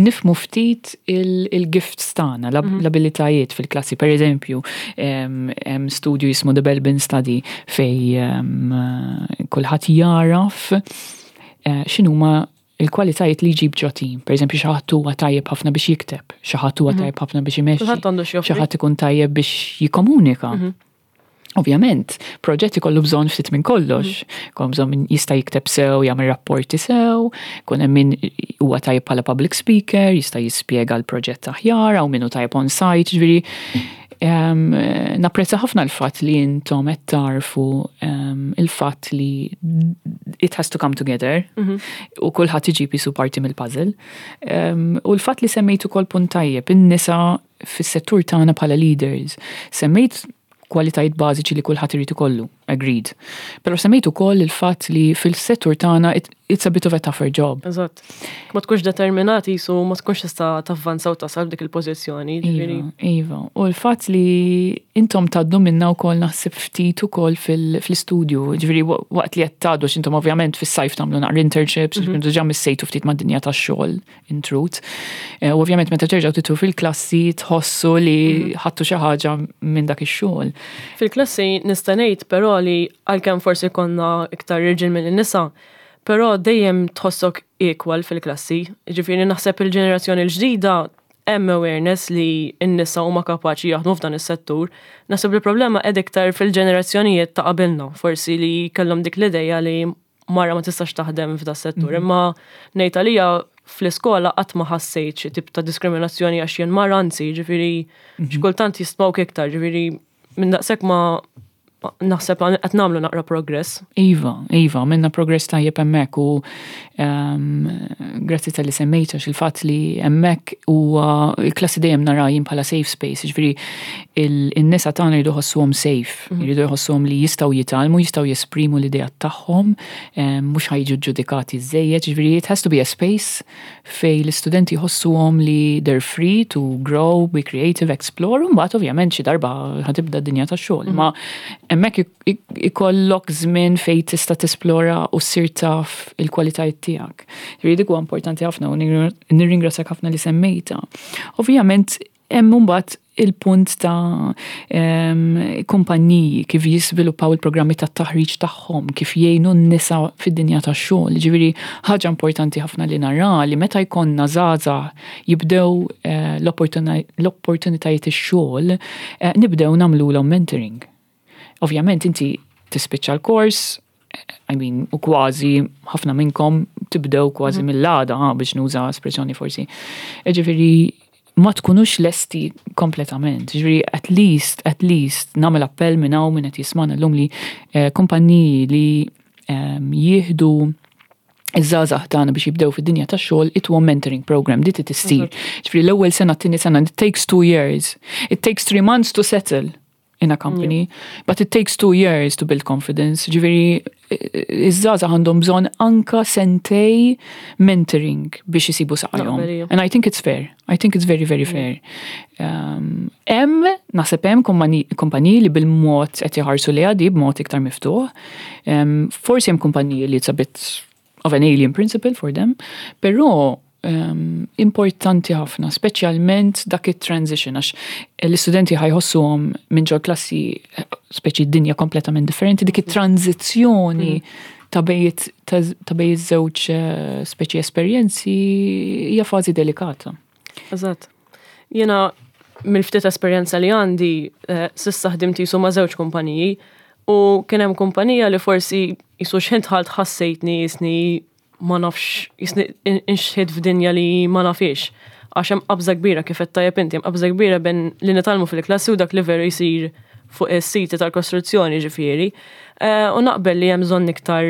nifhmu ftit il-gifts tagħna, l-abilitajiet fil-klassi. Per eżempju, hemm studju jismu The Belbin Study fej kulħadd jaraf x'inhuma il-kwalitajiet li jġib ġo team. Per eżempju, xi ħadd huwa tajjeb ħafna biex jikteb, xi ħadd huwa tajjeb ħafna biex imexxi,
Kulħadd għandu xi joffri.
Xi ħadd ikun tajjeb biex jikkomunika. Ovvjament, proġett ikollu bżonn ftit minn kollox. Kollu bżonn min jista' jikteb sew, jagħmel rapporti sew, kun hemm min huwa tajjeb bħala public speaker, jista' jispjega l-proġett aħjar, hawn min hu tajjeb on site, ġifieri napprezza ħafna l-fatt li intom qed tarfu il-fatt li it has to come together u kulħadd iġib jisu parti mill-puzzle. U l-fatt li semmejt ukoll punt tajjeb, in-nisa fis-settur tagħna bħala leaders. Semmejt kwalitajiet bażiċi li kulħadd irid ikollu, agreed. Però semmejt ukoll il-fatt li fil-settur tagħna it's a bit of a tougher job.
Eżatt. Ma tkunx determinati jisu ma tkunx tista' tavvanza u tasal dik il-pożizzjoni, ġifieri.
Iva. U l-fatt li intom tgħaddu minna wkoll naħseb ftit ukoll fil-istudju, ġifieri waqt li qed tgħaddu għax intom ovvjament fis-sajf tagħmlu naqra internships, ġifieri diġà missejtu ftit mad-dinja tax-xogħol in truth. U ovvjament meta terġgħu tidħlu fil-klassi tħossu li ħadtu xi ħaġa minn dak ix-xogħol.
Fil-klassi nista' ngħid però li għalkemm forsi konna iktar irġiel mill-nisa, però dejjem tħossok equal fil-klassi. Ġifieri naħseb il-ġenerazzjoni l-ġdida hemm awareness li n-nisa huma kapaċi jaħdmu f'dan is-settur. Naħseb li problema qed iktar fil-ġenerazzjonijiet ta' qabilna, forsi li kellhom dik l-idea li mara ma tistax taħdem f'da settur. Imma ngħid għalija fl-iskola qatt ma ħassejt xi tip ta' diskriminazzjoni għax jien mara, anzi, ġifieri xi kultant jistmawk iktar, ġifieri minn daqshekk ma naħseb qed nagħmlu naqra progress.
Iva, minna progress tajjeb hemmhekk u grazzi talli semmejt għax il-fatt li hemmhekk huwa il-klassi dejjem nara jien bħala safe space, ġifieri il-nisa tagħna jridu jħossuhom safe, jridu jħossuhom li jistgħu jitgħallmu, jistgħu jesprimu l-idea tagħhom, mhux ħa jiġu ġudikati żejjed, ġifieri it has to be a space fej l-istudenti jħossuhom li they're free to grow, be creative, explore, u mbagħad ovvjament xi darba ħa tibda d-dinja tax-xogħol. Ma hemmhekk ikollok żmien fej tista' tesplora u ssir taf il-kwalitajiet tiegħek. Ġifieri dik huwa importanti ħafna u nirringrazzjak ħafna li semmejta. Ovvjament hemm mbagħad il-punt ta' kumpanniji kif jiżviluppaw il-programmi ta' taħriġ tagħhom, kif jgħinu n-nisa fid-dinja tax-xogħol. Ġifieri ħaġa importanti ħafna li nara li meta jkollna żgħażagħ jibdew l-opportunitajiet ix-xogħol, nibdew nagħmluhom mentoring. Ovvjament inti tispiċċa l-kors, I mean, u kważi ħafna minnkom tibdew kważi mill-għada, ha, biex nuża espressjoni forsi. Ġifieri ma tkunux lesti kompletament. Ġifieri at least nagħmel appell minn hawn minn qed jismana llum li kumpanniji li jieħdu iż-żgħażagħ tagħna biex jibdew fid-dinja tax-xogħol ituhom mentoring program di trid issir. Ġifieri l-ewwel sena, t-tieni sena, it takes 2 years. It takes 3 months to settle in a company, but it takes 2 years to build confidence. Ġifieri iż-żgħażagħ għandhom bżonn anka sentej mentoring biex isibu saqajhom.
Naqbel, ija.
And I think it's fair. I think it's very, very fair. Hemm, naħseb hemm kumpaniji li bil-mod qed jħarsu li għadi b'mod iktar miftuħ. Forsi hemm kumpaniji li it's a bit of an alien principle for them, però importanti ħafna, speċjalment dak it-transition, għax l-istudenti ħa jħossuhom minn ġol klassi speċi dinja kompletament differenti, dik it-tranzizzjoni ta' bejn iż-żewġ speċi esperjenzi hija fażi delikata.
Eżatt. Jiena mill-ftit esperjenza li għandi s'issa ħdimt jisu ma' żewġ kumpaniji u kien hemm kumpanija li forsi jisu x'ħin dħalt ħassejtni jisni ma nafx jisni inxħid f'dinja li ma nafix. Għax hemm qabża kbira kif qed tajjeb inti, hemm qabża kbira bejn li nitgħallmu fil-klassi u dak li veru jsir fuq is-siti tal-kostruzzjoni ġifieri. U naqbel li hemm bżonn iktar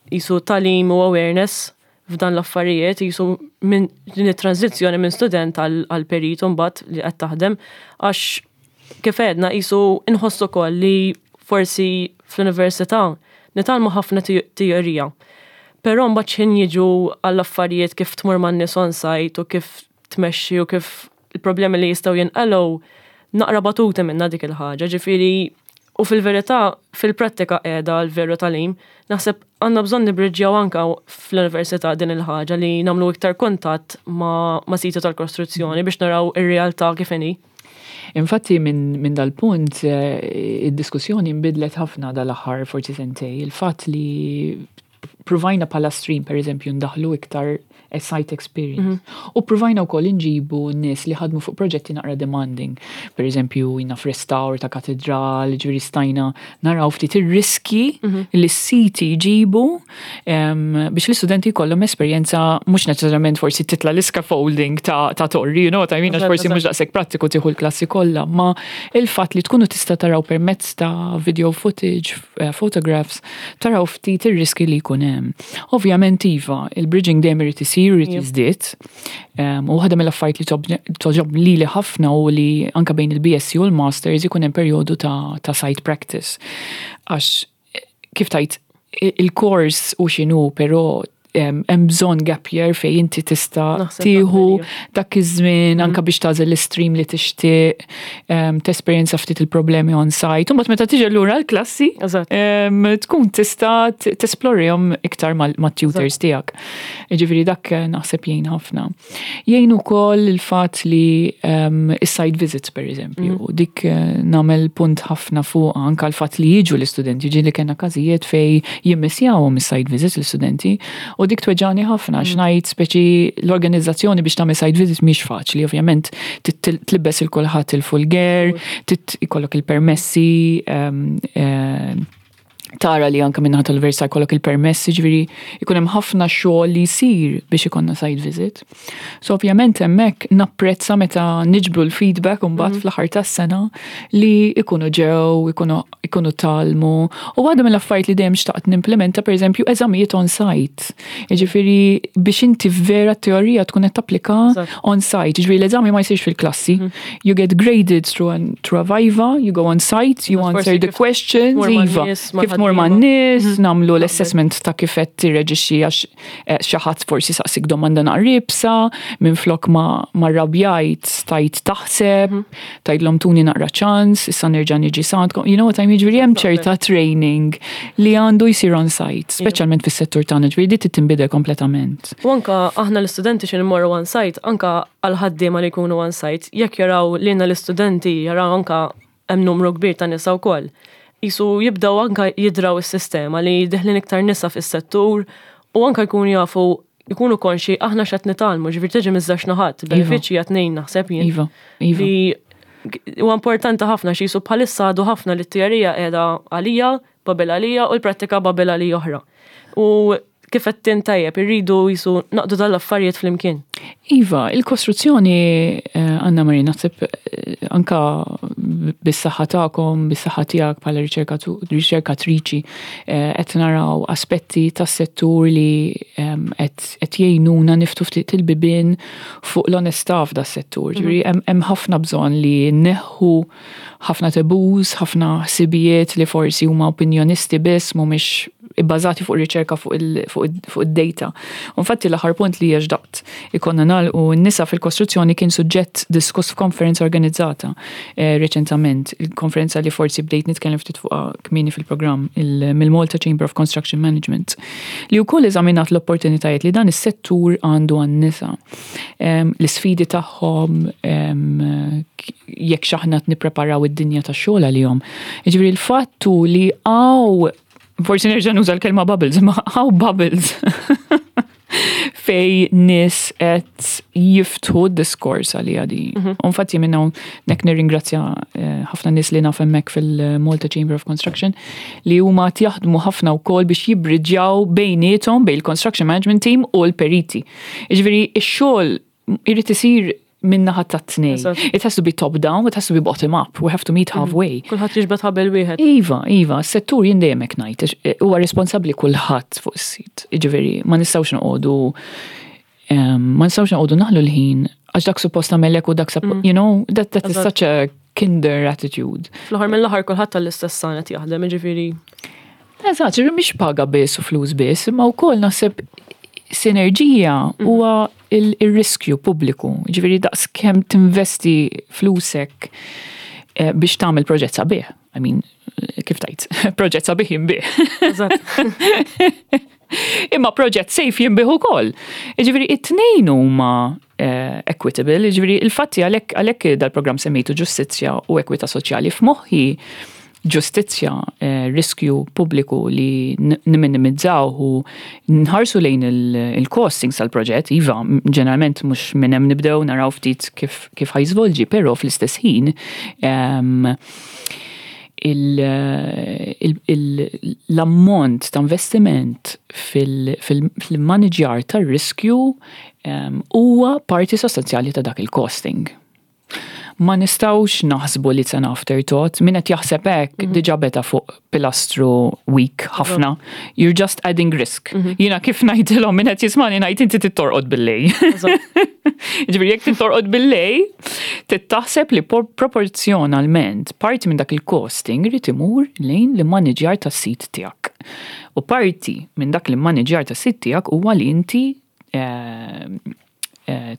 jisu tagħlim u awareness f'dan l-affarijiet jisu minn din it-tranzizzjoni minn student għal perit mbagħad li qed taħdem għax kif għedna jisu inħossu ukoll li forsi fl-università nitgħallmu ħafna teorija. Però mbagħad x'ħin jiġu għall-affarijiet kif tmur man-nies on site u kif tmexxi u kif il-problemi li jistgħu jinqalgħu naqra batuti minna dik il-ħaġa, ġifieri. U fil-verità, fil-prattika qiegħda l-veru tagħlim, naħseb għandna bżonn nibriġġjaw anka fl-università din il-ħaġa li nagħmlu iktar kuntatt ma', ma siti tal-kostruzzjoni biex naraw ir-realtà kif inhi.
Infatti minn dal-punt id-diskussjoni nbidlet ħafna dal-aħħar forsi sentej. Il-fatt li provajna bħala stream per eżempju ndaħlu iktar a site experience. U provajna wkoll inġibu nies li ħadmu fuq proġetti naqra demanding. Per eżempju, jina f'restawr ta' katedral, ġifieri stajna naraw ftit ir-riski li s-siti jġibu biex l-istudenti jkollhom esperjenza mhux neċessarjament forsi titla l-scaffolding ta' torri, what I mean, għax forsi mhux daqshekk prattiku tieħu l-klassi kollha, ma il-fatt li tkunu tista' taraw permezz ta' video footage, photographs, taraw ftit ir-riski li jkun hemm. Ovvjament iva, il-bridging dejjem irid isir, irid jiżdied. U waħda mill-affarijiet li togħġob lili ħafna u li anka bejn il-BSc u l-Masters ikun hemm perjodu ta' site practice. Għax kif tajt il-course u x'inhu, però hemm bżonn gap year fejn inti tista'
Naħseb
tieħu
naqbel,
dak iż-żmien anka biex tagħżel l-stream li tixtieq, tesperjenza ftit il-problemi on site. U mbagħad meta tiġi lura l-klassi, tkun tista' tesplorihom iktar mat-tutors tiegħek. Jiġifieri dak naħseb jgħin ħafna. Jgħin ukoll il-fatt li is-site visits per eżempju, dik nagħmel punt ħafna fuq anka l-fatt li jiġu l-istudenti, ġieli kellna każijiet fej jimmissjawhom is-site visits l-istudenti, u dik tweġġagħni ħafna, x'ngħid speċi l-organizzazzjoni biex tagħmel site visit mhix faċli, ovvjament tlibbes il kulħadd il-full gear, ikollok il-permessi, tara li anka minnaħa tal-università jkollok il-permessi, ġifieri ikun hemm ħafna xogħol li jsir biex ikollna site visit. So ovvjament hemmhekk napprezza meta niġbru l-feedback u mbagħad fl-aħħar tas-sena li ikunu ġew, ikunu tgħallmu. U waħda mill-affarijiet li dejjem xtaqt nimplementa pereżempju eżamijiet on site. Jiġifieri biex inti vera teorija tkun qed tapplika on site. Jiġifieri l-eżami ma jsirx fil-klassi. You get graded through a viva, you go on site, you
Forsi
answer the
kif
questions,
tmur ma'
iva.
nies, ma'
Kif tmur ma'
ħaddiema.
nies, nagħmlu l-assessment ta' kif qed tirreġixxi għax xi ħadd forsi saqsik domanda naqra iebsa, minn flok ma rabjajt stajt taħseb, tgħidlhom tuni naqra ċans, issa nerġa' niġi s'għandkom. You know what I mean? Ġifieri hemm ċerta training li għandu jsir on site, speċjalment fis-settur tagħna, ġifieri di trid tinbidel kompletament.
U anka aħna l-istudenti xi mmorru on site, anka għal-ħaddiema li jkunu on site, jekk jaraw lilna l-istudenti, jaraw anka hemm numru kbir ta' nisa wkoll. Jisu jibdaw anka jidraw is-sistema li deħlin iktar nisa fis-settur u anka jkunu jafu jkunu konxi aħna x'qed nitgħallmu, ġifieri tiġi miż-żewġ naħat, benefiċċji qed ngħin naħseb jien.
Iva, iva.
Li huwa importanti ħafna xi jisu bħalissa għadu ħafna li t-teorija qiegħda għalija, bubble għalija u l-prattika bubble għalija oħra. U kif qed tintajjeb irridu jisu naqdu dal-affarijiet flimkien.
Iva, il-kostruzzjoni, Anna Marie, naħseb anka bis-saħħa tagħkom, bis-saħħa tiegħek bħala riċerkatriċi, qed naraw aspetti tas-settur li qed jgħinuna niftu ftit il-bibien fuq l-onestà f'da settur. Ġifieri hemm ħafna bżonn li neħħu ħafna taboos, ħafna ħsibijiet li forsi huma opinjonisti biss mhumiex ibbażati fuq riċerka fuq id-data. Infatti l-aħħar punt li jaġdaqt ikonna nagħlqu n-nisa fil-kostruzzjoni kien suġġett diskuss f'konferenza organizzata reċentament, il-konferenza li forsi bdejt nitkellem ftit fuqha kmieni fil-programm mill-Malta Chamber of Construction Management, li wkoll eżaminat l-opportunitajiet li dan is-settur għandu għan-nisa. L-isfidi tagħhom, jekk x'aħna qed nippreparaw id-dinja tax-xogħol għalihom. Jiġifieri l-fattu li hawn forsi nerġa' nuża l-kelma bubbles, ma hawn bubbles fej nies qed jiftħu d-diskors għalija di. Infatti minn hawn nek nirringrazzja ħafna nies li naf hemmhekk fil-Malta Chamber of Construction li huma qed jaħdmu ħafna wkoll biex jibbriġġjaw bejniethom bejn il-Construction Management Team u l-periti. Jiġifieri x-xogħol irid isir min-naħa tat-tnejn. It has to be top down, it has to be bottom up. We have to meet halfway.
Kulħadd jiġbed ħabel wieħed.
Iva, iva, s-settur jien dejjem hekk ngħid, huwa responsabbli kulħadd fuq is-sit. Jiġifieri ma nistgħux noqogħdu ma nistgħux noqogħdu naħlu l-ħin għax dak suppost tagħmelek u dak that is such a kinder attitude.
Fl-aħħar mill-aħħar kulħadd tal-istess sanet jaħdem, jiġifieri.
Eżatt, ġifieri mhix paga biss u flus biss, imma wkoll naħseb sinerġija huwa il-riskju pubbliku. Ġifieri daqs kemm tinvesti flusek biex tagħmel proġett sabiħ. I mean, kif tajt, proġett sabiħ jinbih. Imma proġett safe jinbih ukoll. Jiġifieri it-tnejn huma eh, equitable, jiġifieri il-fatti għalhekk dal-programm semmejtu ġustizzja u ekwità soċjali f'moħħi ġustizzja, eh, riskju pubbliku li niminimizzaw u nħarsu lejn il-costings tal-proġett, iva, ġeneralment mhux minn hemm nibdew naraw ftit kif kif ħa jiżvolġi, però fl-istess ħin l-ammont ta' investiment fil-maniġjar tar-riskju huwa parti sostanzjali ta' dak il-costing. Ma nistgħux naħsbu li it's an afterthought, min qed jaħseb hekk diġà beda fuq pilastru weak ħafna. You're just adding risk. Jiena kif ngħidilhom min qed jismani ngħid inti tittorqod bil-lejl. Ġifieri jekk tittorqod bil-lejl, tittaħseb li proporzjonalment parti minn dak il-costing irid imur lejn l-immaniġjar tas-sit tiegħek. U parti minn dak l-immaniġjar tas-sit tiegħek huwa li inti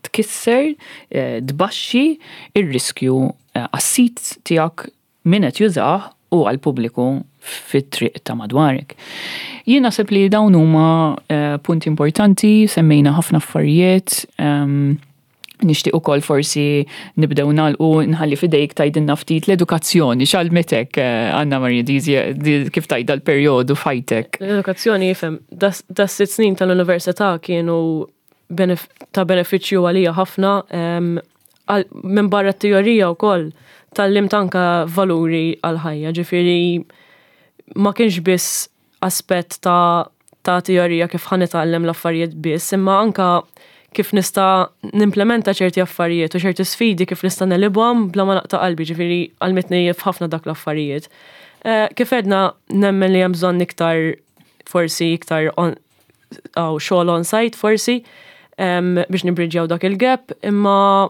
tkisser, tbaxxi ir-riskju għas-sit tiegħek min qed jużah u għall-pubbliku fit-triq ta' madwarek. Jien naħseb li dawn huma punti importanti, semmejna ħafna affarijiet, nixtieq ukoll forsi nibdew nagħlqu nħalli f'idejk tgħidilna ftit l-edukazzjoni x'għallmitek Anna Maria kif tgħid dal-perjodu f'ħajtek.
L-edukazzjoni jifhem, das 6 snin tal-università kienu ta' benefiċċju għalija ħafna minn barra t-teorija wkoll tgħallimt anka valuri għal-ħajja, ġifieri ma kienx biss aspett ta' teorija kif ħa nitgħallem l-affarijiet biss, imma anka kif nista' nimplementa ċerti affarijiet u ċerti sfidi kif nista' negħlibhom bla ma naqta' qalbi, ġifieri għallmitni f'ħafna dak l-affarijiet. Kif għedna nemmen li hemm bżonn iktar forsi iktar għaw xogħol on-site forsi biex nibridġjaw dak il-gap, imma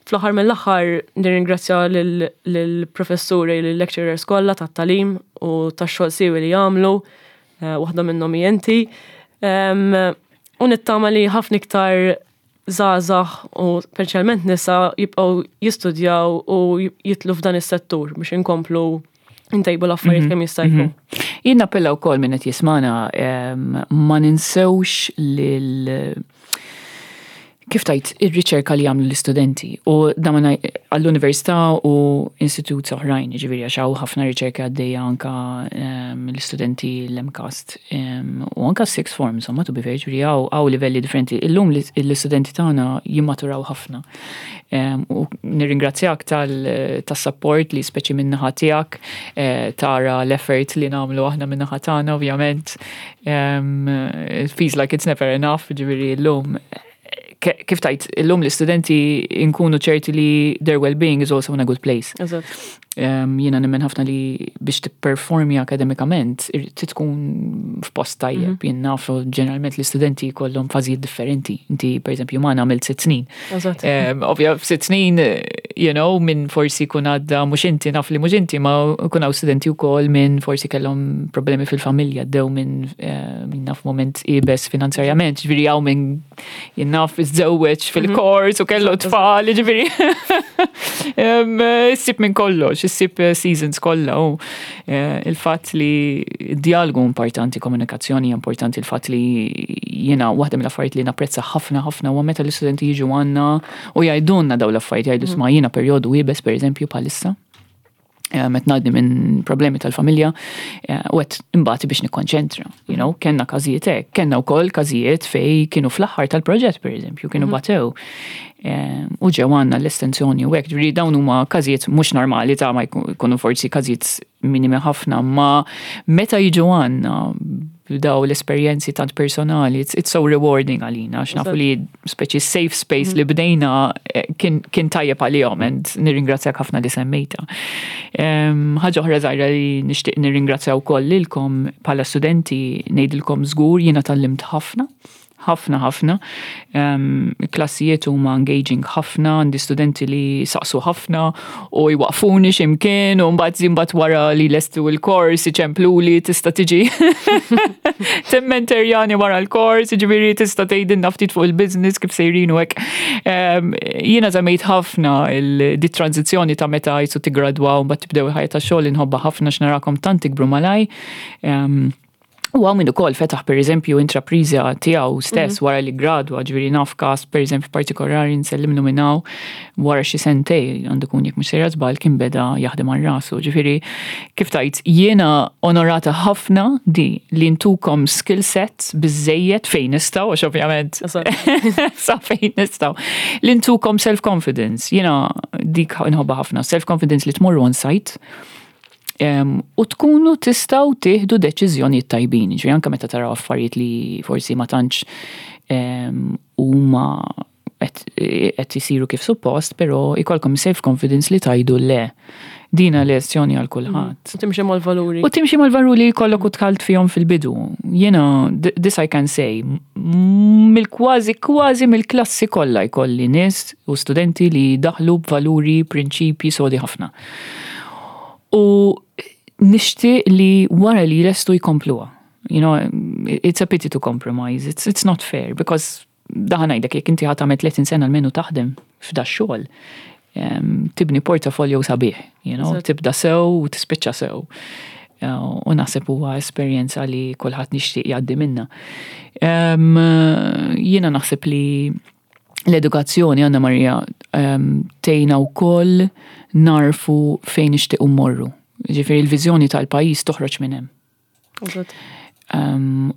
fl-aħħar mill-aħħar nirringrazzja lill-professuri, lill-lecturers kollha tat-tagħlim u tax-xogħol siwi li jagħmlu, waħda minnhom hi inti. U nittama li ħafna iktar żgħażagħ u speċjalment nisa jibqgħu jistudjaw u jidħlu f'dan is-settur biex inkomplu ntejbu l-affarijiet kemm jista' jkun.
Jien nappella wkoll min qed jismana ma ninsewx lil kif tajt ir-riċerka li jagħmlu l-istudenti u dan għall-università u istitut oħrajn, ġifieri għax hawn ħafna riċerka għaddejja anka l-istudenti l-MCAST u anka sixth form, insomma, to be fair, ġifieri hawn livelli differenti. Illum l-istudenti tagħna jimmaturaw ħafna. U nirringrazzjak tas-support li speċi min-naħa tiegħek, tara l-effort li nagħmlu aħna min-naħa tagħna, ovvjament. It feels like it's never enough, ġifieri llum kif tajt, illum l-istudenti nkunu ċerti li their well-being is also in a good place. Jiena nemmen ħafna li biex tipperformi akademikament, tkun f'post tajjeb. Jien nafu ġeneralment l-istudenti kollhom fażijiet differenti. Inti, per eżempju, ma għamilt 6 snin. Ovvja, f'6 snin, minn forsi kun għadda, mhux inti, naf li mhux inti, ma kun hawn studenti wkoll minn forsi kellhom problemi fil-familja, għaddew minn naf moment iebes finanzjarjament, ġifieri hawn minn jien naf iżżewweġ fil-kors u kellu tfal, ġifieri. Issib minn kollox, issib seasons kollha u il-fatt li dialogu importanti, komunikazzjoni importanti, il-fatt li jiena waħda mill-affarijiet li napprezza ħafna ħafna huwa meta l-istudenti jiġu għandna u jgħidulna daw l-affarijiet, jgħidu isma' jiena perjodu iebes per eżempju bħalissa. Qed ngħaddi minn problemi tal-familja u qed imbati biex nikkonċentra. Kellna każijiet hekk, kellna wkoll każijiet fej kienu fl-aħħar tal-proġett pereżempju, kienu batew. U ġew għandna l-estensjoni u hekk, ġifieri dawn huma każijiet mhux normali ta' ma jkunu forsi każijiet minimi ħafna, ma meta jiġu għandna daw l-esperjenzi tant personali, it's so rewarding għalina, għax nafu li speċi safe space li bdejna kien tajjeb għalihom, and nirringrazzjak ħafna li semmejta. Ħaġa oħra żgħira li nixtieq nirringrazzja wkoll lilkom bħala studenti, ngħidilkom żgur jiena tgħallimt ħafna, ħafna ħafna. Klassijiet huma engaging ħafna, għandi studenti li saqsu ħafna u jwaqfuni x'imkien u mbagħad wara li lestu l-kors iċempluli tista' tiġi. Timmenterjani wara l-kors, ġifieri tista' tgħidilna ftit fuq il-business kif sejrin u hekk. Jiena żammejt ħafna di tranzizzjoni ta' meta jisu tigradwaw mbagħad tibdew il-ħajja ta' xogħol inħobbha ħafna x'narakom tant tikbru malaj. U hawn min ukoll fetaħ per eżempju intrapriża tiegħu stess wara li gradwa, ġifieri naf każ per eżempju partikolari nsellimlu minn hawn wara xi sentej għandu jkun jekk mhux sejra żball kien beda jaħdem għal rasu. Ġifieri kif tajt jiena onorata ħafna di li ntukom skill sets biżejjed fejn nistgħu għax ovvjament sa fejn nistgħu. Li ntukom self-confidence. Jiena dik inħobbha ħafna, self-confidence li tmorru on site u tkunu tistgħu tieħdu deċiżjonijiet tajbin. Ġifieri anke meta taraw affarijiet li forsi ma tantx huma qed isiru kif suppost, però ikolkom self-confidence li tgħidu le. Dina lezzjoni għal kulħadd.
U timxi mal-valuri.
U timxi mal-valuri li jkollok u dħalt fihom fil-bidu. Jiena, this I can say, mill-kważi kważi mill-klassi kollha jkolli nies u studenti li daħlu b'valuri, prinċipji sodi ħafna. U nixtieq li wara li lestu jkompluha. It's a pity to compromise. It's not fair because daħan ngħidlek jekk inti ħa tagħmel 30 sena almenu taħdem f'da xogħol, tibni portafolio sabiħ, tibda sew u tispiċċa sew. U naħseb huwa esperjenza li kulħadd nixtieq jgħaddi minna. Jiena naħseb li l-edukazzjoni, Anna Maria, tgħinna wkoll narfu fejn nixtiequ mmorru. Ġifieri l-viżjoni tal-pajjiż toħroġ minn hemm.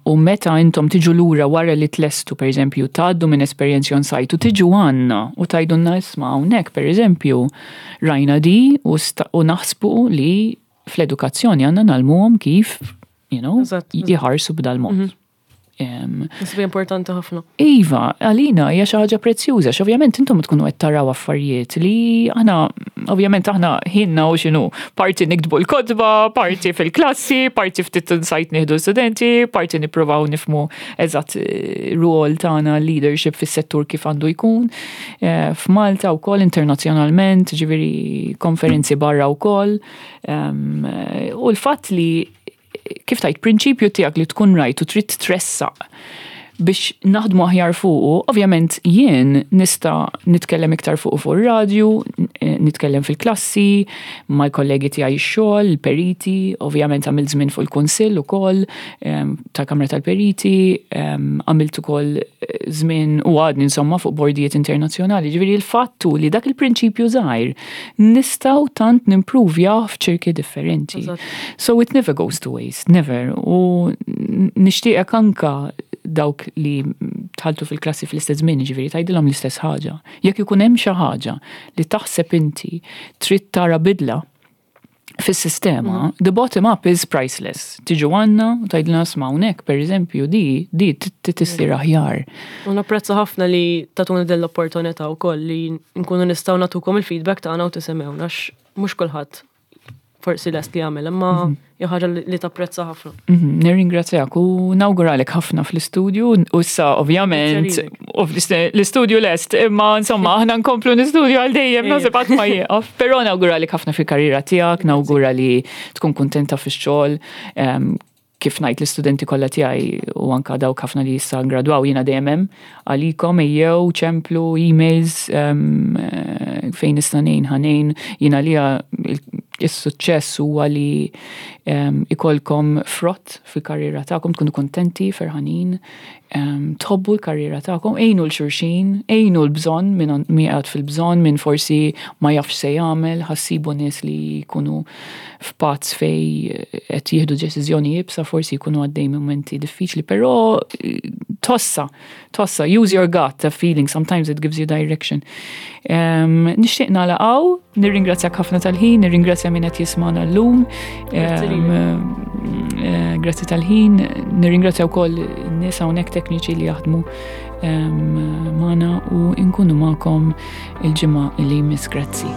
U meta intom tiġu lura wara li tlestu, per eżempju, tgħaddu minn esperjenzi on site u tiġu għandna u tgħidulna isma' hawnhekk, per eżempju, rajna di u naħsbu li fl-edukazzjoni għandna ngħallmuhom kif jħarsu b'dal mod.
Nasib importanti ħafna.
Iva, għalina hija xi ħaġa prezzjuża, x'ovvjament intom tkunu qed taraw affarijiet li aħna, ovvjament aħna ħinna u x'inhu, parti niktbu l-kotba, parti fil-klassi, parti ftit insajt nieħdu studenti, parti nippruvaw nifhmu eżatt rwol tagħna leadership fis-settur kif għandu jkun. F'Malta wkoll internazzjonalment, ġifieri konferenzi barra wkoll. U l-fatt li kif tajt prinċipju tiegħek li tkun rajt u trid tressaq biex naħdmu aħjar fuqu, ovvjament jien nista' nitkellem iktar fuqu fuq ir-radju, nitkellem fil-klassi, mal-kollegi tiegħi x-xogħol, il-periti, ovvjament għamilt żmien fuq il-kunsill ukoll tal-Kamra tal-Periti, għamilt ukoll żmien u għadni insomma fuq bordijiet internazzjonali. Ġifieri l-fattu li dak il-prinċipju żgħir nistgħu tant nimpruvja f'ċirki differenti. So it never goes to waste, never. U nixtieqek anka dawk li dħaltu fil-klassi fl-istess żmien, ġifieri tgħidilhom l-istess ħaġa. Jekk ikun hemm xi ħaġa li taħseb inti trid tara bidla fis-sistema, the bottom up is priceless. Tiġu għandna u tgħidilna isma' hawnhekk, per eżempju, di tissir aħjar.
U napprezza ħafna li tatuna din l-opportunità wkoll li nkunu nistgħu nagħtukom il-feedback tagħna u tisimgħuna għax mhux kulħadd forsi lest li jagħmel, imma hija ħaġa li tapprezza ħafna.
Nirringrazzjak u nawguralek ħafna fl-istudju u issa ovvjament
Grazzi lilek.
u l-istudju lest, imma insomma aħna nkomplu n-istudju għal dejjem naħseb qatt ma jieqaf. Però nawguralek ħafna fil-karriera tiegħek, nawgura li tkun kuntenta fix-xogħol. Kif ngħid l-istudenti kollha tiegħi u anka dawk ħafna li issa ngradwaw jiena dejjem hemm għalikom ejjew ċemplu emails fejn nista' ngħin ħa ngħin. Jiena għalija is-suċċess huwa li ikolkom frott fil-karriera tagħkom, tkunu kontenti, ferħanin, tħobbu l-karriera tagħkom, għinu 'l xulxin, għinu l-bżonn min qiegħed fil-bżonn, min forsi ma jafx se jagħmel, ħassibu nies li jkunu f'pazz fej qed jieħdu deċiżjoni iebsa, forsi jkunu għaddej momenti diffiċli, però tossa, tossa, use your gut, a feeling, sometimes it gives you direction. Nixtieq nagħlaq hawn, nirringrazzjak ħafna tal-ħin, nirringrazzja min qed jismagħna llum.
Grazzi lilek.
Grazzi tal-ħin, nirringrazzja wkoll in-nies hawnhekk tekniċi li jaħdmu magħna u nkunu magħkom il-ġimgħa li jmiss. Grazzi.